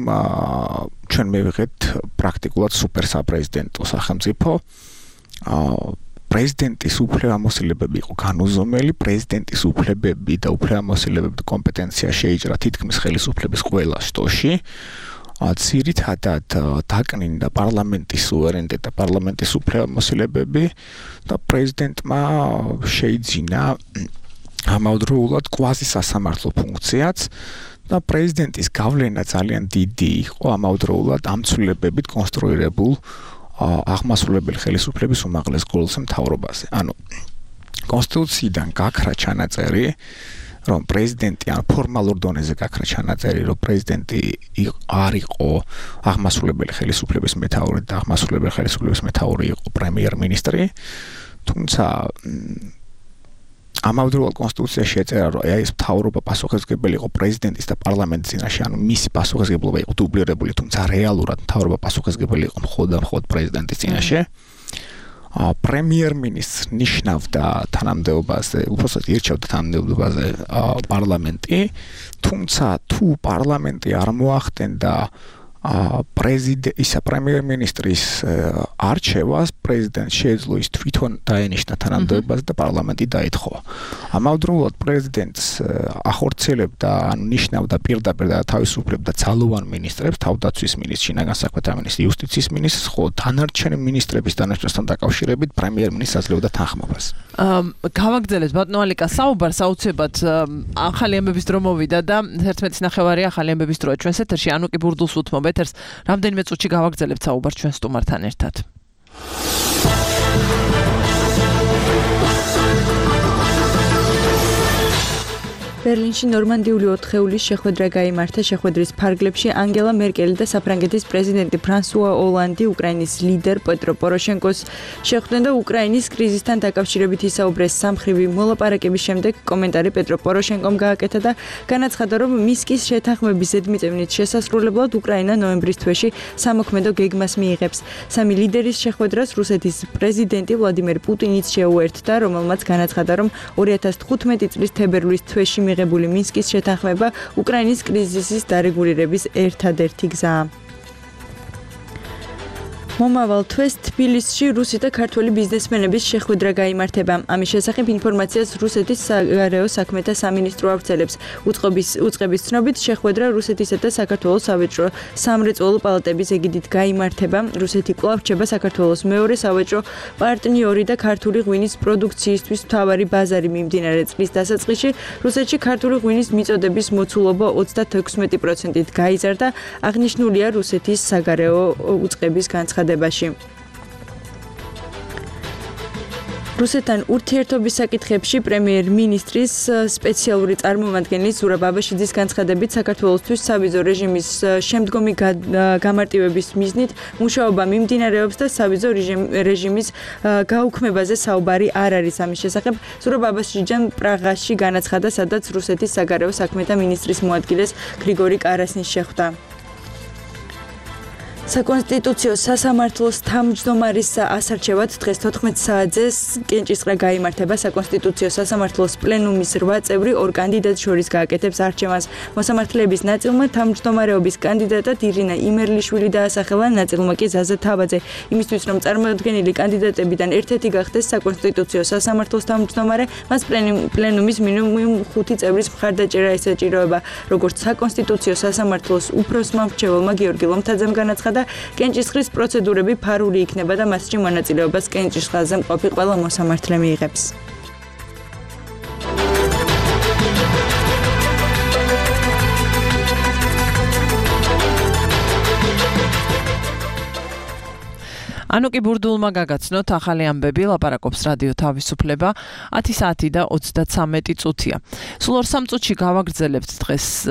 ჩვენ მივიღეთ პრაქტიკულად სუპერსაპრეზიდენტო სახელმწიფო. პრეზიდენტის უფლებამოსილებები იყო განუზომელი, პრეზიდენტის უფლებები და უფლებამოსილებები კომპეტენცია შეიჭრა თითქმის ხელისუფლების ყველა შტოში. ძირითადად დაკნინდა პარლამენტის სუვერენიტეტი და პარლამენტის უფლებამოსილებები და პრეზიდენტმა შეიძინა ამავდროულად კვაზისასამართლო ფუნქციაც და პრეზიდენტის გავლენა ძალიან დიდი იყო ამავდროულად ამ ცვლილებებით კონსტრუირებულ აღმასრულებელი ხელისუფლების უმაღლეს გულს მთავრობაზე. ანუ კონსტიტუციიდან გაქრა ჩანაწერი რომ პრეზიდენტი ან ფორმალურ დონეზე გაქრა ჩანაწერი, რომ პრეზიდენტი არ იყო აღმასრულებელი ხელისუფლების მეთაური და აღმასრულებელი ხელისუფლების მეთაური იყო პრემიერ-მინისტრი, თუმცა ამავდროულად კონსტიტუციაში ეწერა, რომ ეს მთავრობა პასუხისმგებელი იყო პრეზიდენტის და პარლამენტის წინაშე, ანუ მისი პასუხისმგებლობა იყო დუბლირებული, თუმცა რეალურად მთავრობა პასუხისმგებელი იყო მხოლოდ პრეზიდენტის წინაშე. პრემიერ-მინისტრს ნიშნავდა თანამდებობაზე, უბრალოდ ირჩევდა თანამდებობაზე პარლამენტი, თუმცა თუ პარლამენტი არ მოახდენდა პრემიერ-მინისტრის არჩევას, პრეზიდენტს შეეძლო ის თვითონ დაენიშნა თანამდებობაზე და პარლამენტი დაეთხოვა. ამავდროულად პრეზიდენტს ახორციელებდა, ანუ ნიშნავდა პირდაპირ და თავისუფლებდა ძალოვან მინისტრებს, თავდაცვის მინისტრს, შინაგან საქმეთა მინისტრს, იუსტიციის მინისტრს, ხოლო დანარჩენი მინისტრების დანაშაულებასთან დაკავშირებით პრემიერ-მინისტრს აძლევდა თანხმობას. გავაგრძელეთ ბატონო ალიკა საუბარს აუცილებლად ახალი ამბების დრო მოვიდა და 11:09 ახალი ამბების დროა ჩვენს ეთერში. ანუკი ბურდულს უთმობ ეთერს. რამდენიმე წუთში გავაგრძელებთ საუბარს ჩვენ სტუმართან ერთად. ბერლინში ნორმანდიული 4-ეულის შეხვედრა გაიმართა. შეხვედრის ფარგლებში ანგელა მერკელი და საფრანგეთის პრეზიდენტი ფრანსუა ოლანდი უკრაინის ლიდერ პეტრო პოროშენკოს შეხვდნენ და უკრაინის კრიზისთან დაკავშირებით ისაუბრეს. სამხრივი მოლაპარაკების შემდეგ კომენტარი პეტრო პოროშენკომ გააკეთა და განაცხადა, რომ მინსკის შეთანხმების ზედმიწევნით შესასრულებლად უკრაინა ნოემბრის თვეში სამოქმედო გეგმას მიიღებს. სამი ლიდერის შეხვედრას რუსეთის პრეზიდენტი ვლადიმერ პუტინიც შეუერთდა, რომელმაც განაცხადა, რომ 2015 წლის თებერვლის თვეში მიღებული მინსკის შეთანხმება უკრაინის კრიზისის დარეგულირების ერთადერთი გზაა. მომავალ თვეს თბილისში რუსი და ქართველი ბიზნესმენების შეხვედრა გაიმართება. ამის შესახებ ინფორმაციას რუსეთის საგარეო საქმეთა სამინისტრო ავრცელებს. უწყების ცნობით შეხვედრა რუსეთისა და საქართველოს სავაჭრო სამრეწველო პალატების ეგიდით გაიმართება. რუსეთი კვლავ რჩება საქართველოს მეორე სავაჭრო პარტნიორი და ქართული ღვინის პროდუქციისთვის მთავარი ბაზარი. მიმდინარე წლის დასაწყისში რუსეთში ქართული ღვინის მიწოდების მოცულობა 36%-ით გაიზარდა. აღნიშნულია რუსეთის საგარეო უწყების განცხადებაში. რუსეთთან ურთიერთობის საკითხებში პრემიერ-მინისტრის სპეციალური წარმომადგენლის ზურაბ აბაშიძის განცხადებით საქართველოსთვის სავიზო რეჟიმის შემდგომი გამარტივების მიზნით მუშაობა მიმდინარეობს და სავიზო რეჟიმის გაუქმებაზე საუბარი არ არის. ამის შესახებ ზურაბ აბაშიძემ პრაღაში განაცხადა, სადაც რუსეთის საგარეო საქმეთა მინისტრის მოადგილეს გრიგორი კარასნის შეხვდა. საკონსტიტუციო სასამართლოს თავმჯდომარის ასარჩევად დღეს 14 საათზე კენჭისყრა გაიმართება. საკონსტიტუციო სასამართლოს პლენუმის 8 წევრი ორ კანდიდატს შორის გააკეთებს არჩევანს. მოსამართლეების ნაწილმა თავმჯდომარეობის კანდიდატად ირინა იმერლიშვილი დაასახელა, ნაწილმა კი ზაზა თავაძე. იმისთვის რომ წარმოადგენილი კანდიდატებიდან ერთ-ერთი გახდეს საკონსტიტუციო სასამართლოს თავმჯდომარე, მას პლენუმის მინიმუმ 5 წევრის მხარდაჭერა ესაჭიროება. როგორც საკონსტიტუციო სასამართლოს უფროსმა მრჩეველმა გიორგი ლომთაძემ განაცხადა, კენჭისყრის პროცედურები ფარული იქნება და მასში მონაწილეობას კენჭისყრაზე მყოფი ყველა მოსამართლე მიიღებს. ანუკი ბურდულმა გაგაცნოთ ახალი ამბები, ლაპარაკობს რადიო თავისუფლება 10 საათი და 33 წუთია. სულ 2 წუთში გავაგრძელებთ დღეს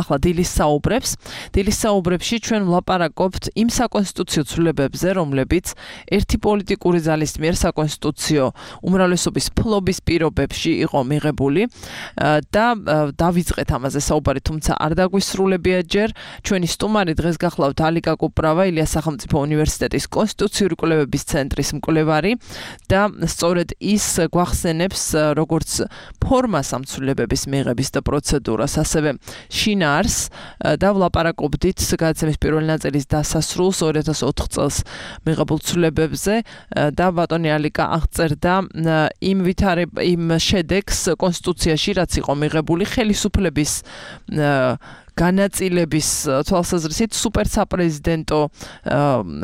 ახლა დილის საუბრებს. დილის საუბრებში ჩვენ ვლაპარაკობთ იმ საკონსტიტუციო ცვლილებებზე, რომლებიც ერთი პოლიტიკური ძალის მიერ საკონსტიტუციო უმრავლესობის ფლობის პირობებში იყო მიღებული და დავიწყეთ ამაზე საუბარი, თუმცა არ დაგვისრულებია ჯერ. ჩვენი სტუმარი დღეს გახლავთ ალიკა კუპრავა, ილიას სახელმწიფო უნივერსიტეტის კონსტიტუციური კვლევების ცენტრის მკვლევარი და სწორედ ის გვახსენებს როგორც ფორმას ამ ცვლილებების მიღების და პროცედურას, ასევე შინაარს და ვლაპარაკობდით გადაცემის პირველი ნაწილის დასასრულს 2004 წელს მიღებულ ცვლილებებზე და ბატონი ალიკა აღწერდა იმ შედეგს კონსტიტუციაში, რაც იყო მიღებული ხელისუფლების განაწილების თვალსაზრისით სუპერსაპრეზიდენტო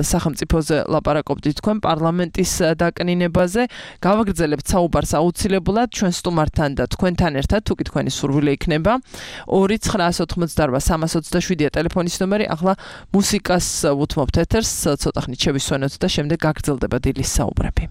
სახელმწიფოზე ლაპარაკობდით თქვენ პარლამენტის დაკნინებაზე. გავაგრძელებთ საუბარს აუცილებლად ჩვენ სტუმართან და თქვენთან ერთად, თუკი თქვენი სურვილი იქნება. 2-988-327-ია ტელეფონის ნომერი. ახლა მუსიკას უთმობთ ეთერს, ცოტა ხნით შევისვენოთ და შემდეგ გაგრძელდება დილის საუბრები.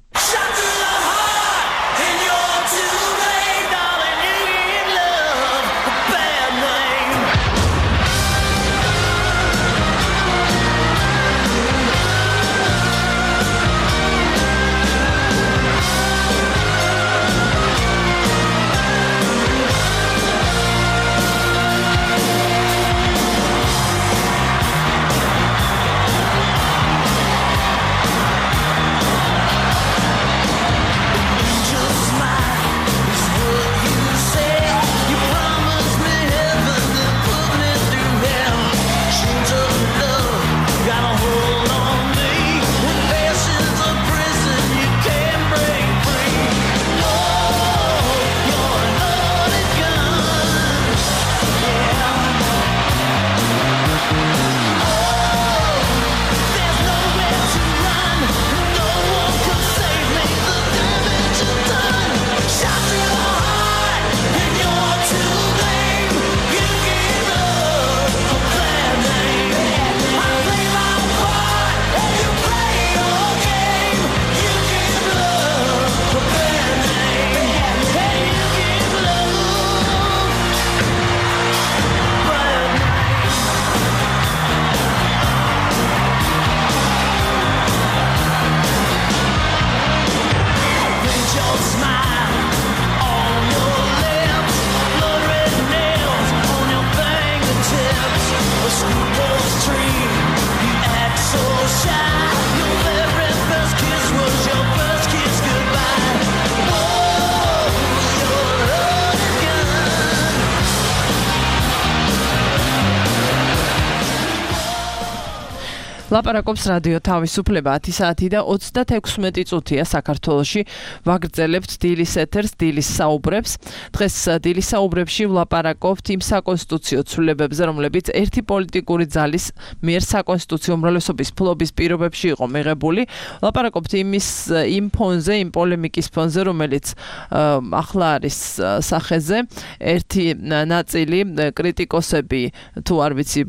ლაპარაკობს რადიო თავისუფლება 10 საათი და 36 წუთია საქართველოში ვაგრძელებთ დილის ეთერს, დილის საუბრებს. დღეს დილის საუბრებში ვლაპარაკობთ იმ საკონსტიტუციო ცვლილებებზე, რომლებიც ერთი პოლიტიკური ძალის მიერ საკონსტიტუციო უმრავლესობის ფლობის პირობებში იყო მიღებული. ვლაპარაკობთ იმ ფონზე, იმ პოლემიკის ფონზე, რომელიც ახლა არის სახეზე. ერთი ნაწილი კრიტიკოსები, თუ არ ვიცი,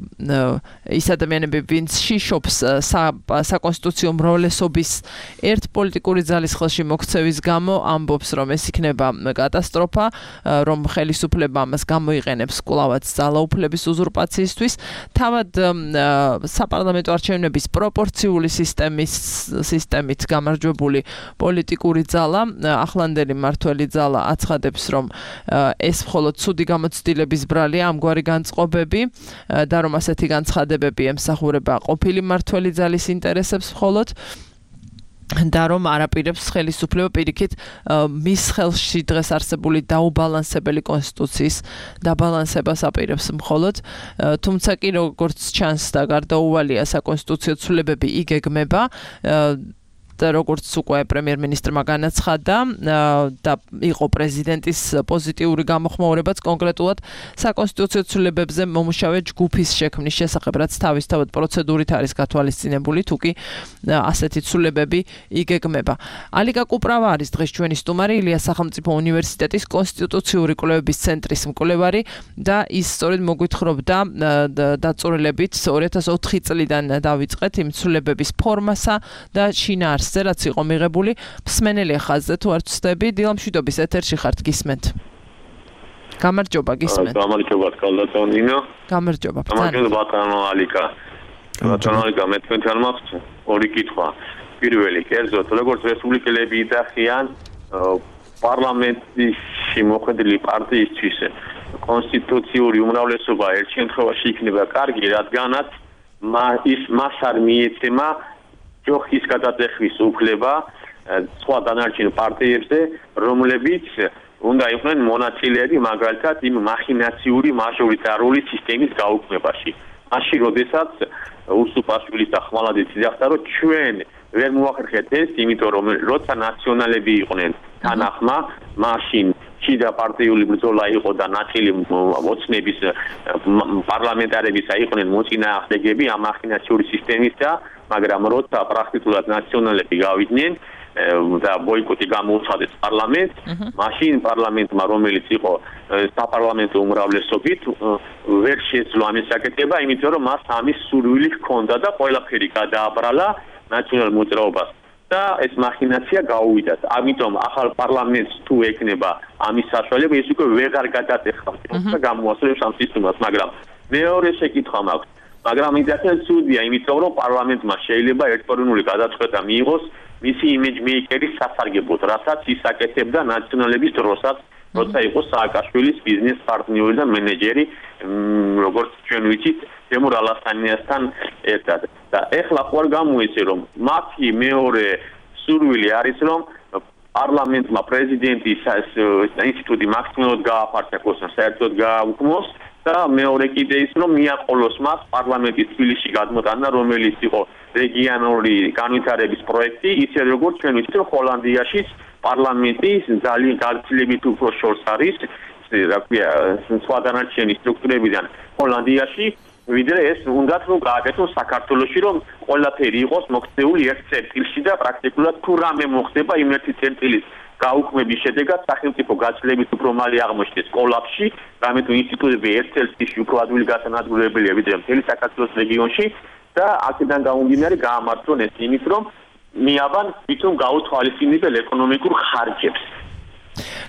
ის ადამიანები, ვინც შიშობს საკონსტიტუციო უმრავლესობის ერთ პოლიტიკური ძალის ხელში მოქცევის გამო ამბობს, რომ ეს იქნება კატასტროფა, რომ ხელისუფლება ამას გამოიყენებს კვლავაც ძალაუფლების უზურპაციისთვის. თავად საპარლამენტო არჩევნების პროპორციული სისტემით გამარჯვებული პოლიტიკური ძალა, ახლანდელი მმართველი ძალა აცხადებს, რომ ეს მხოლოდ ცუდი გამოცდილების ბრალია, ამგვარი განწყობები და რომ ასეთი განცხადებები ემსახურება ყოფილი მმართველი ძალის ინტერესებს მხოლოდ და რომ არაპირებს ხელისუფლება პირიქით მის ხელში დღეს არსებული დაუბალანსებელი კონსტიტუციის დაბალანსებას აპირებს მხოლოდ, თუმცა კი როგორც ჩანს და გარდაუვალია საკონსტიტუციო ცვლილებები იგეგმება და როგორც უკვე პრემიერ-მინისტრმა განაცხადა და იყო პრეზიდენტის პოზიტიური გამოხმაურებაც კონკრეტულად საკონსტიტუციო ცვლილებებზე მომუშავე ჯგუფის შექმნის შესახებ, რაც თავისთავად პროცედურით არის გათვალისწინებული, თუ კი ასეთი ცვლილებები იგეგმება. ალიკა კუპრავა არის დღეს ჩვენი სტუმარი, ილიას სახელმწიფო უნივერსიტეტის კონსტიტუციური კვლევების ცენტრის მკვლევარი და ის სწორედ მოგვითხრობდა დაწვრილებით 2004 წლიდან დავიწყეთ იმ ცვლილებების ფორმასა და შინაარსს რაც იყო მიღებული. მსმენელი ხაზზე თუ არ ვცდები, დილამშვიდობის ეთერში ხართ, გისმენთ. გამარჯობა, გისმენთ. გამარჯობა, კალდატონინო. გამარჯობა. გამარჯობა, ბატონო ალიკა. ბატონო ალიკა, მე თქვენთან მაქვს ორი კითხვა. პირველი, კერძოდ, როგორც რესპუბლიკელები იტახიან, პარლამენტში მოხვედრილი პარტიისთვის კონსტიტუციური უმრავლესობა ერთ შემთხვევაში იქნება კარგი, რადგანაც მას არ მიეცემა ჯოხის გადაწეხვის უფლება სხვა დანარჩენ პარტიებზე, რომლებიც უნდა იყვნენ მონაწილეები მაგალითად იმ მახინაციური მაჟორიტარული სისტემის გაუქმებაში. მაშინ, როდესაც უსუპაშვილის და ხმალაძის იძახდა, რომ ჩვენ ვერ მოახერხეთ ეს, იმიტომ რომ როცა ნაციონალები იყვნენ თანახმა, მაშინ შიდა პარტიული ბრძოლა იყო და ნაწილი ოცნების პარლამენტარებისა იყვნენ მოწინააღმდეგები ამ მახინაციური სისტემისა, მაგრამ როცა პრაქტიკულად ნაციონალები გავიდნენ და ბოიკოტი გამოუცხადეს პარლამენტს, მაშინ პარლამენტმა, რომელიც იყო საპარლამენტო უმრავლესობით, ვერ შეძლო ამის გაკეთება, იმიტომ რომ მას ამის სურვილი ჰქონდა და ყველაფერი გადააბრალა ნაციონალ მოძრაობას და ეს მახინაცია გაუვიდა. ამიტომ ახალ პარლამენტს თუ ეკნება ამის საშუალება, ის უკვე ვეღარ გადაწეხავს და გამოასწრებს ამ სისტემას, მაგრამ მეორე შეკითხვა მაქვს. მაგრამ ისეთი ცუდია, იმიტომ რომ პარლამენტმა შეიძლება ერთპიროვნული გადაწყვეტა მიიღოს მისი იმიჯმეიკერის სასარგებლოდ, რასაც ის აკეთებდა ნაციონალების დროსაც, როცა იყო სააკაშვილის ბიზნეს პარტნიორი და მენეჯერი, როგორც ჩვენ ვიცით, თემურ ალასანიასთან ერთად. და ეხლა ხო არ გამოიცე, რომ მათი მეორე სურვილი არის, რომ პარლამენტმა პრეზიდენტის ინსტიტუტი მაქსიმალურად გააფართოს, საერთოდ გააუქმოს და მეორე კიდე ის, რომ მიაყოლოს მას პარლამენტის თბილისში გადმოტანა, რომელიც იყო რეგიონალური განვითარების პროექტი, ისე როგორც ჩვენ ვიცით, რომ ჰოლანდიაშიც პარლამენტის ძალიან გაცილებით უფრო შორს არის, რა ქვია, სხვა დანარჩენი სტრუქტურებიდან ჰოლანდიაში, ვიდრე ეს უნდათ რომ გააკეთოს საქართველოში, რომ ყველაფერი იყოს მოქცეული ერთ წერტილში და პრაქტიკულად თუ რამე მოხდება იმ ერთი წერტილის გაუქმების შედეგად სახელმწიფო გაცილებით უფრო მალე აღმოჩნდეს კოლაფსში, რამე თუ ინსტიტუტები ერთ წელსში უფრო ადვილი გასანადგურებელია ვიდრე მთელი საქართველოს რეგიონში და აქედან გამომდინარე გაამართლონ ეს იმით, რომ მიაბან თვითონ გაუთვალისწინებელ ეკონომიკურ ხარჯებს.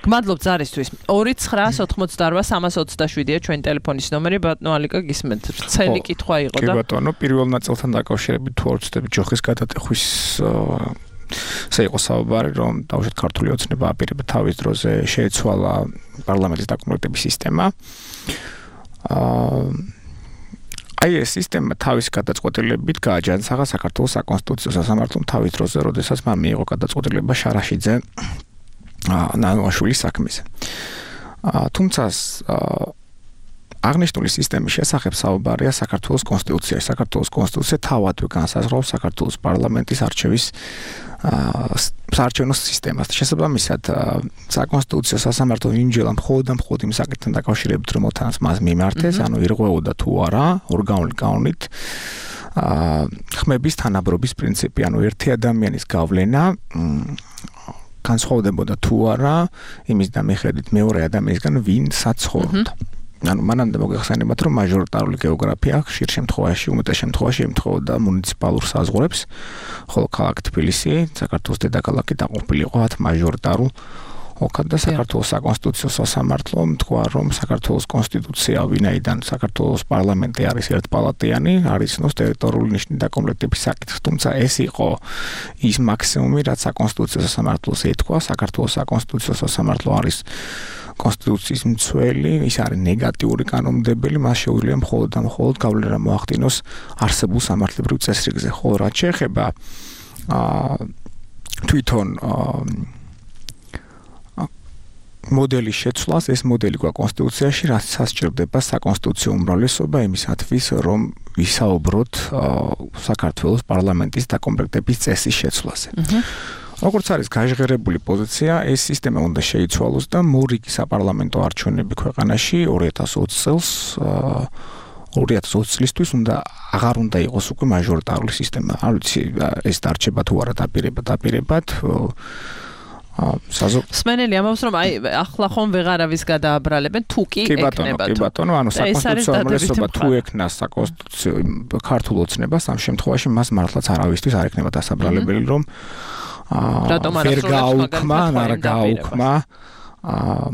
გმადლობ ზარისთვის. 2988327-ია ჩვენი ტელეფონის ნომერი, ბატონო ალიკა, გისმენთ. ვრცელი კითხვა იყო და კი ბატონო, პირველ ნაწილთან დაკავშირებით თუ არ ვცდები ჯოხის გადატეხვის ესე იყო საუბარი, რომ დავუშვათ ქართული ოცნება აპირებდა თავის დროზე შეეცვალა პარლამენტის დაკომპლექტების სისტემა. აი ეს სისტემა თავის გადაწყვეტილებით გააჯანსაღა საქართველოს საკონსტიტუციო სასამართლომ თავის დროზე, როდესაც მან მიიღო გადაწყვეტილება შარაშიძე ნანოაშვილის საქმეზე. თუმცა აღნიშნული სისტემის შესახებ საუბარია საქართველოს კონსტიტუციაში. საქართველოს კონსტიტუცია თავადვე განსაზღვრავს საქართველოს პარლამენტის არჩევის საარჩევნო სისტემას. შესაბამისად, საკონსტიტუციო სასამართლო იმჯერა მხოლოდ იმ საკითხთან დაკავშირებით, რომ მოთანს მას მიმართეს, ანუ ირღვეოდა თუ არა ორგანული კანონით ხმების თანაბრობის პრინციპი, ანუ ერთი ადამიანის გავლენა განსხვავდებოდა თუ არა იმის დამიხედვით მეორე ადამიანისგან ვინცაც ცხოვრობდა. ანუ მანამდე მოგეხსენებათ, რომ მაჟორიტარული გეოგრაფია ხშირ შემთხვევაში, უმეტეს შემთხვევაში ემთხვეოდა მუნიციპალურ საზღვრებს, ხოლო ქალაქ თბილისი, საქართველოს დედაქალაქი დაყოფილი იყო 10 მაჟორიტარულ ოლქად და საქართველოს საკონსტიტუციო სასამართლომ თქვა, რომ საქართველოს კონსტიტუცია, ვინაიდან საქართველოს პარლამენტი არის ერთპალატიანი, არის ცნობს ტერიტორიული ნიშნის დაკომპლექტების საკითხს, თუმცა ეს იყო ის მაქსიმუმი, რაც საკონსტიტუციო სასამართლოს ეთქვა. საქართველოს საკონსტიტუციო სასამართლო არის კონსტიტუციის მცველი, ის არის ნეგატიური კანონმდებელი, მას შეუძლია მხოლოდ და მხოლოდ გავლენა მოახდინოს არსებულ სამართლებრივ წესრიგზე. ხოლო რაც შეეხება თვითონ მოდელის შეცვლას, ეს მოდელი გვაქვს კონსტიტუციაში, რაც სასჭირდება საკონსტიტუციო უმრავლესობა იმისათვის, რომ ვისაუბროთ საქართველოს პარლამენტის დაკომპლექტების წესის შეცვლაზე. როგორც არის გაჟღერებული პოზიცია, ეს სისტემა უნდა შეიცვალოს და მორიგი საპარლამენტო არჩევნები ქვეყანაში 2020 წელს 2020 წლისთვის აღარ უნდა იყოს უკვე მაჟორიტარული სისტემა. არ ვიცი, ეს დარჩება თუ არა დაპირებად. სმენელი ამბობს, რომ ახლა ხომ ვეღარავის გადააბრალებენ, თუ კი ეკნება. კი ბატონო, ანუ საკონსტიტუციო უმრავლესობა თუ ეკნას საკონსტიტუციო ქართულ ოცნებას, ამ შემთხვევაში მას მართლაც არავისთვის არ ეკნება დასაბრალებელი, რომ ვერ გააუქმა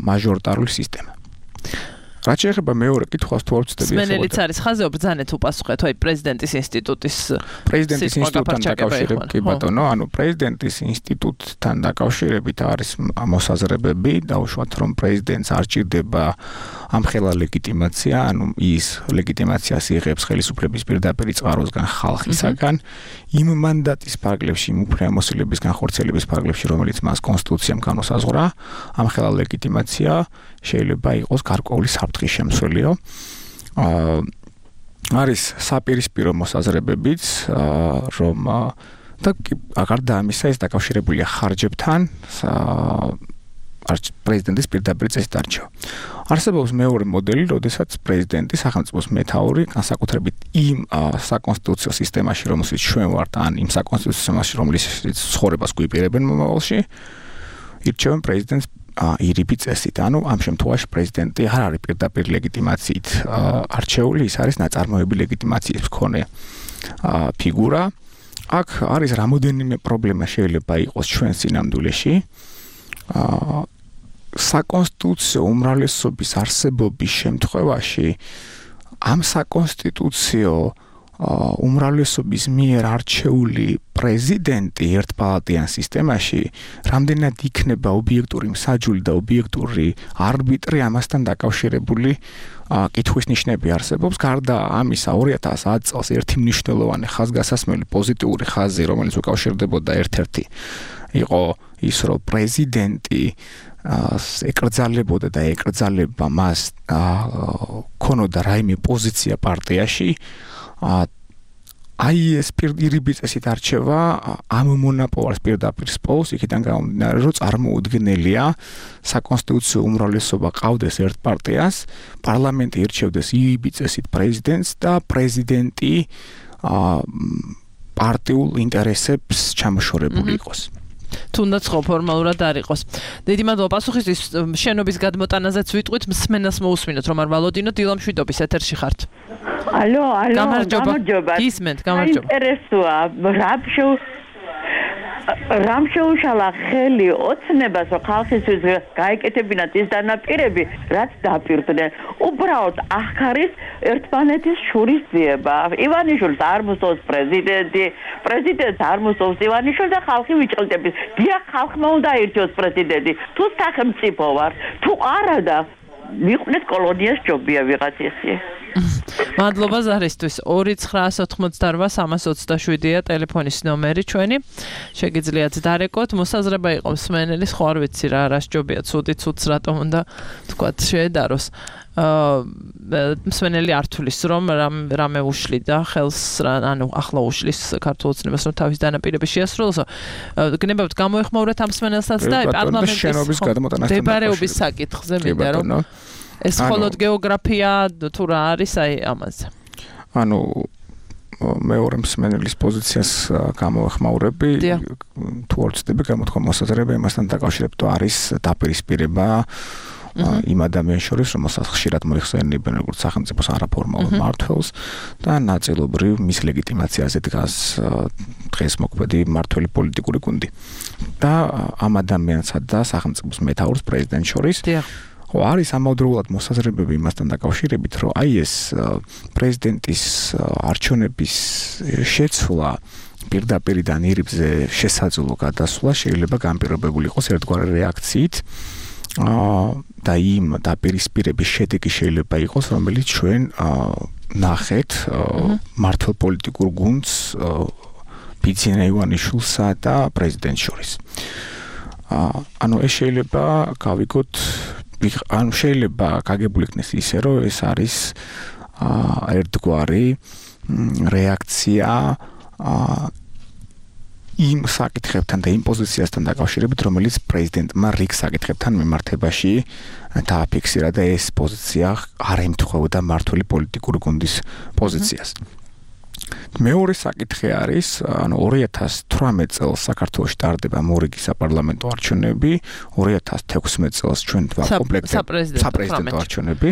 მაჟორიტარული სისტემა. რაც შეეხება მეორე კითხვას, თუ არ ვცდები, სმენელიც არის ხაზზე, ბრძანეთ უპასუხეთ, აი პრეზიდენტის ინსტიტუტის ინსტიტუტთან დაკავშირებით, კი ბატონო, ანუ პრეზიდენტის ინსტიტუტთან დაკავშირებით არის მოსაზრებები, დაუშვათ, რომ პრეზიდენტს არ ჭირდება ამხელა ლეგიტიმაცია, ანუ ის ლეგიტიმაციას იღებს ხელისუფლების პირდაპირ წყაროსგან ხალხისაგან, იმ მანდატის ფარგლებში, იმ უფლებამოსილების განხორციელების ფარგლებში, რომელიც მას კონსტიტუციამ განუსაზღვრა, ამხელა ლეგიტიმაცია შეიძლება იყოს გარკვეული საფრთხის შემცველიო. არის საპირისპირო მოსაზრებებიც, რომ და გარდა ამისა ეს დაკავშირებულია ხარჯებთან, პრეზიდენტის პირდაპირ წესით არჩევა. არსებობს მეორე მოდელი, როდესაც პრეზიდენტი სახელმწიფოს მეთაური, განსაკუთრებით იმ საკონსტიტუციო სისტემაში, რომელშიც ჩვენ ვართ, ან იმ საკონსტიტუციო სისტემაში, რომელშიც ცხოვრებას გვიპირებენ მომავალში, ირჩევენ პრეზიდენტს ირიბი წესით. ანუ ამ შემთხვევაში პრეზიდენტი არ არის პირდაპირ ლეგიტიმაციით არჩეული, ის არის ნაწარმოები ლეგიტიმაციის მქონე ფიგურა. აქ არის რამოდენიმე პრობლემა შეიძლება იყოს ჩვენ სინამდვილეში. საკონსტიტუციო უმრავლესობის არსებობის შემთხვევაში ამ საკონსტიტუციო უმრავლესობის მიერ არჩეული პრეზიდენტი ერთპალატიან სისტემაში რამდენად იქნება ობიექტური მსაჯული და ობიექტური არბიტრი ამასთან დაკავშირებული კითხვის ნიშნები არსებობს. გარდა ამისა 2010 წელს ერთი მნიშვნელოვანი ხაზგასასმელი პოზიტიური ხაზი, რომელიც უკავშირდებოდა ერთ-ერთი იყო ის, რომ პრეზიდენტი ეკრძალებოდა და ეკრძალება მას ქონოდა რაიმე პოზიცია პარტიაში. აი ეს პირდაპირ წესით არჩევა ამ მონოპოლს პირდაპირ სპოს, იქიდან გამომდინარე, რომ წარმოუდგენელია საკონსტიტუციო უმრავლესობა ყავდეს ერთ პარტიას, პარლამენტი ირჩევდეს ირიბი წესით პრეზიდენტს და პრეზიდენტი პარტიულ ინტერესებს ჩამოშორებული იყოს. თუნდაც ხო ფორმალურად არ იყოს. დიდი მადლობა პასუხისთვის. შენობის გადმოტანაზეც ვიტყვით, მსმენელს მოусმინოთ, რომ არ ვალოდინოთ, დილამშვიდობის ეთერში ხართ. ალო, გამარჯობა. გისმენთ, გამარჯობა. ინტერესოა, რამ შეუშალა ხელი ოცნებას, რომ ხალხისთვის გაეკეთებინათ ის დანაპირები, რაც დაპირდნენ. უბრალოდ აქ არის ერთმანეთის შურისძიება. ივანიშვილს არ მოსწონს პრეზიდენტი, პრეზიდენტს არ მოსწონს ივანიშვილს და ხალხი ვიჭყლდების. დიახ, ხალხმა უნდა ირჩიოს პრეზიდენტი. თუ სახელმწიფო ვარ, თუ არა და მიყვნეთ კოლონიას ჯობია ვიღაც ესე. მადლობა ზარისთვის 2988327-ია ტელეფონის ნომერი ჩვენი შეგიძლიათ დარეკოთ მოსაზრება იყო მსმენელის ხო არ ვიცი რა სჯობია ცუდიც რატომ უნდა თქვათ შეედაროს მსმენელი არ თulis რომ რამე უშლიდა ხელს ანუ ახლა უშლის ქართულ ოცნებას რომ თავის დანაპირების შეასრულოსო გნებავთ გამოეხმაურეთ ამ მსმენელსაც და პარლამენტის შენობის გადამოტანასთან დებარეობის საკითხზე მინდა რომ ეს მხოლოდ გეოგრაფია თუ რა არის აი ამაზე ანუ მეორე მსმენელის პოზიციას გამოეხმაურები თუ არ ვწდები გამოთქვა მოსაზრება იმასთან დაკავშირებით არის დაპირისპირება იმ ადამიანს შორის რომელსაც ხშირად მოიხსენიებენ როგორც სახელმწიფოს არაფორმალურ მმართველს და ნაწილობრივ მის ლეგიტიმაციაზე დგას დღეს მოქმედი მმართველი პოლიტიკური გუნდი და ამ ადამიანსა და სახელმწიფოს მეთაურს პრეზიდენტს შორის არის ამავდროულად მოსაზრებები იმასთან დაკავშირებით რომ აი ეს პრეზიდენტის არჩევნების შეცვლა პირდაპირიდან ირიბზე შესაძლო გადასვლა შეიძლება განპირობებული იყოს ერთგვარი რეაქციით და იმ დაპირისპირების შედეგი შეიძლება იყოს რომელიც ჩვენ ნახეთ მართლ პოლიტიკურ გუნდს ბიძინა ივანიშვილსა და პრეზიდენტს შორის ანუ ეს შეიძლება გავიგოთ ანუ შეიძლება გაგებული იქნეს ისე რომ ეს არის ერთგვარი რეაქცია იმ საკითხებთან და იმ პოზიციასთან დაკავშირებით, რომელიც პრეზიდენტმა რიგ საკითხებთან მიმართებაში დააფიქსირა და ეს პოზიცია არ ემთხვეოდა მმართველი პოლიტიკური გუნდის პოზიციას. მეორე საკითხი არის, ანუ 2018 წელს საქართველოში ტარდება მორიგი საპარლამენტო არჩევნები, 2016 წელს ჩვენ საპრეზიდენტო არჩევნები,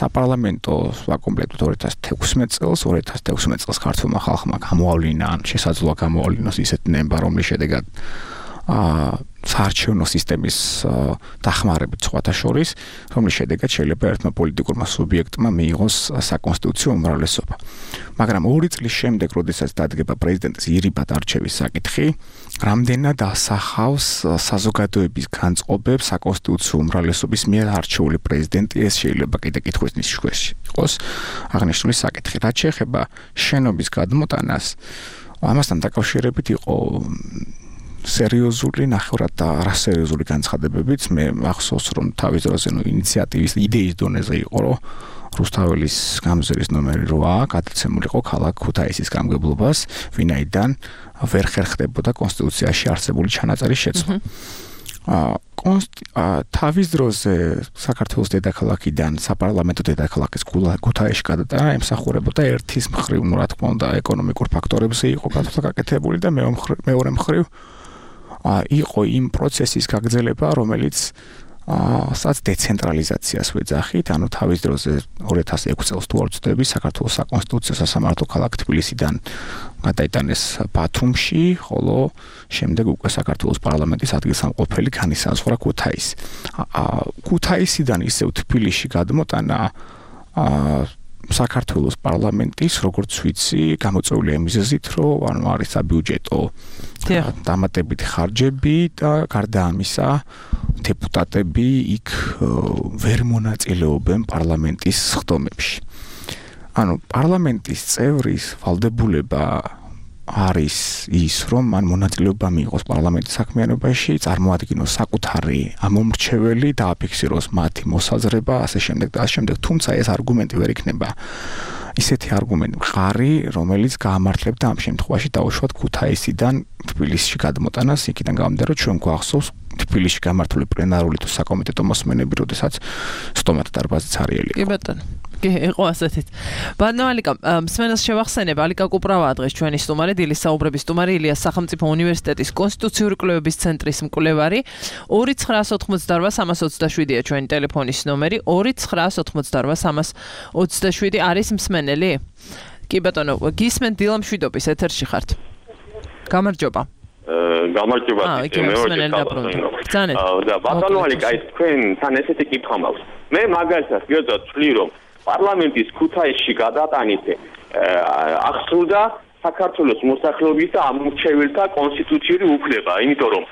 საპარლამენტო ვაკომპლექტოთ 2016 წელს, 2016 წელს ქართულმა ხალხმა გამოავლინა, ან შესაძლოა გამოავლინოს ისეთი ნება, რომლის შედეგად საარჩევნო სისტემის დახმარებით სხვათა შორის, რომლის შედეგად შეიძლება ერთმა პოლიტიკურმა სუბიექტმა მიიღოს საკონსტიტუციო უმრავლესობა. მაგრამ 2 წლის შემდეგ, როდესაც დადგება პრეზიდენტის ირიბად არჩევის საკითხი, რამდენად ასახავს საზოგადოების განწყობებს საკონსტიტუციო უმრავლესობის მიერ არჩეული პრეზიდენტი, ეს შეიძლება კიდე კითხვის ნიშნებში იყოს აღნიშნული საკითხი. რაც შეეხება შენობის გადმოტანას, ამასთან დაკავშირებით იყო სერიოზული ნახევრად და არასერიოზული განცხადებებიც მე ახსოვს რომ თავის დროზე ინიციატივის იდეის დონეზე იყო რომ რუსთაველის გამზირის ნომერი 8 გადაცემულიყო ქალაქ ქუთაისის გამგებლობას ვინაიდან ვერ ხერხდებოდა კონსტიტუციაში არსებული ჩანაწერის შეცვლა თავის დროზე საქართველოს დედაქალაქიდან საპარლამენტო დედაქალაქის ქუთაისში გადატანა ემსახურებოდა ერთის მხრივ რა თქმა უნდა ეკონომიკურ ფაქტორებზე იყო გაკეთებული და მეორე მხრივ იყო იმ პროცესის გაგრძელება, რომელიც სადაც დეცენტრალიზაციას ვეძახით, ანუ თავის დროზე 2006 წელს თუ არ ვცდები, საქართველოს საკონსტიტუციო სასამართლო ქალაქ თბილისიდან გადაიტანეს ბათუმში, ხოლო შემდეგ უკვე საქართველოს პარლამენტის ადგილსამყოფელი განისაზღვრა ქუთაისი. ქუთაისიდან ისევ თბილისში გადმოტანა საქართველოს პარლამენტის, როგორც ვიცი, გამოწვეულია მიზეზით, რომ ანუ არის საბიუჯეტო დამატებითი ხარჯები და გარდა ამისა, დეპუტატები იქ ვერ მონაწილეობენ პარლამენტის სხდომებში. ანუ პარლამენტის წევრის ვალდებულება არის ის, რომ მან მონაწილეობა მიიღოს პარლამენტის საქმიანობაში, წარმოადგინოს საკუთარი ამომრჩეველი და აფიქსიროს მათი მოსაზრება, ასე შემდეგ და ასე შემდეგ. თუმცა ეს არგუმენტი ვერ იქნება ისეთი არგუმენტი მყარი, რომელიც გაამართლებდა ამ შემთხვევაში დაუშვათ ქუთაისიდან თბილისში გადმოტანას, იქიდან გამომდინარე, რომ ჩვენ გვახსოვს თბილისში გამართული პლენარული თუ საკომიტეტო მოსმენები, როდესაც სტომატ დარბაზიც არიელი იყო. კი ბატონო. კი, იყო ასეთით. ბატონო ალიკა, მსმენელს შევახსენებ, ალიკა კუპრავაა დღეს ჩვენი სტუმარი, დილის საუბრების სტუმარი, ილიას სახელმწიფო უნივერსიტეტის კონსტიტუციური კვლევების ცენტრის მკვლევარი. 2988327-ია ჩვენი ტელეფონის ნომერი, 2988327 არის მსმენელი? კი ბატონო, გისმენთ დილა მშვიდობის ეთერში ხართ. გამარჯობა. გამარჯობა. და ბატონო ალიკა, აი თქვენთან ესეთი კითხვა მაქვს. მე მაგალითად გიოძა ვთვლი რომ პარლამენტის ქუთაისში გადატანით აღსრულდა საქართველოს მოსახლეობის და ამორჩეველთა კონსტიტუციური უფლება, იმიტომ რომ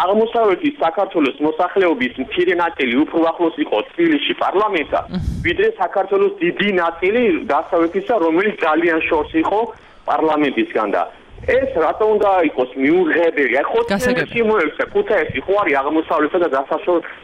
აღმოსავლეთის საქართველოს მოსახლეობის მცირე ნაწილი უფრო ახლოს იყო თბილისში პარლამენტთან, ვიდრე საქართველოს დიდი ნაწილი დასავლეთისა, რომელიც ძალიან შორს იყო პარლამენტისგან და ეს რატომ უნდა იყოს მიუღებელი? ხო, შემოეცა ქუთაისი ხო არის აღმოსავლეთსა და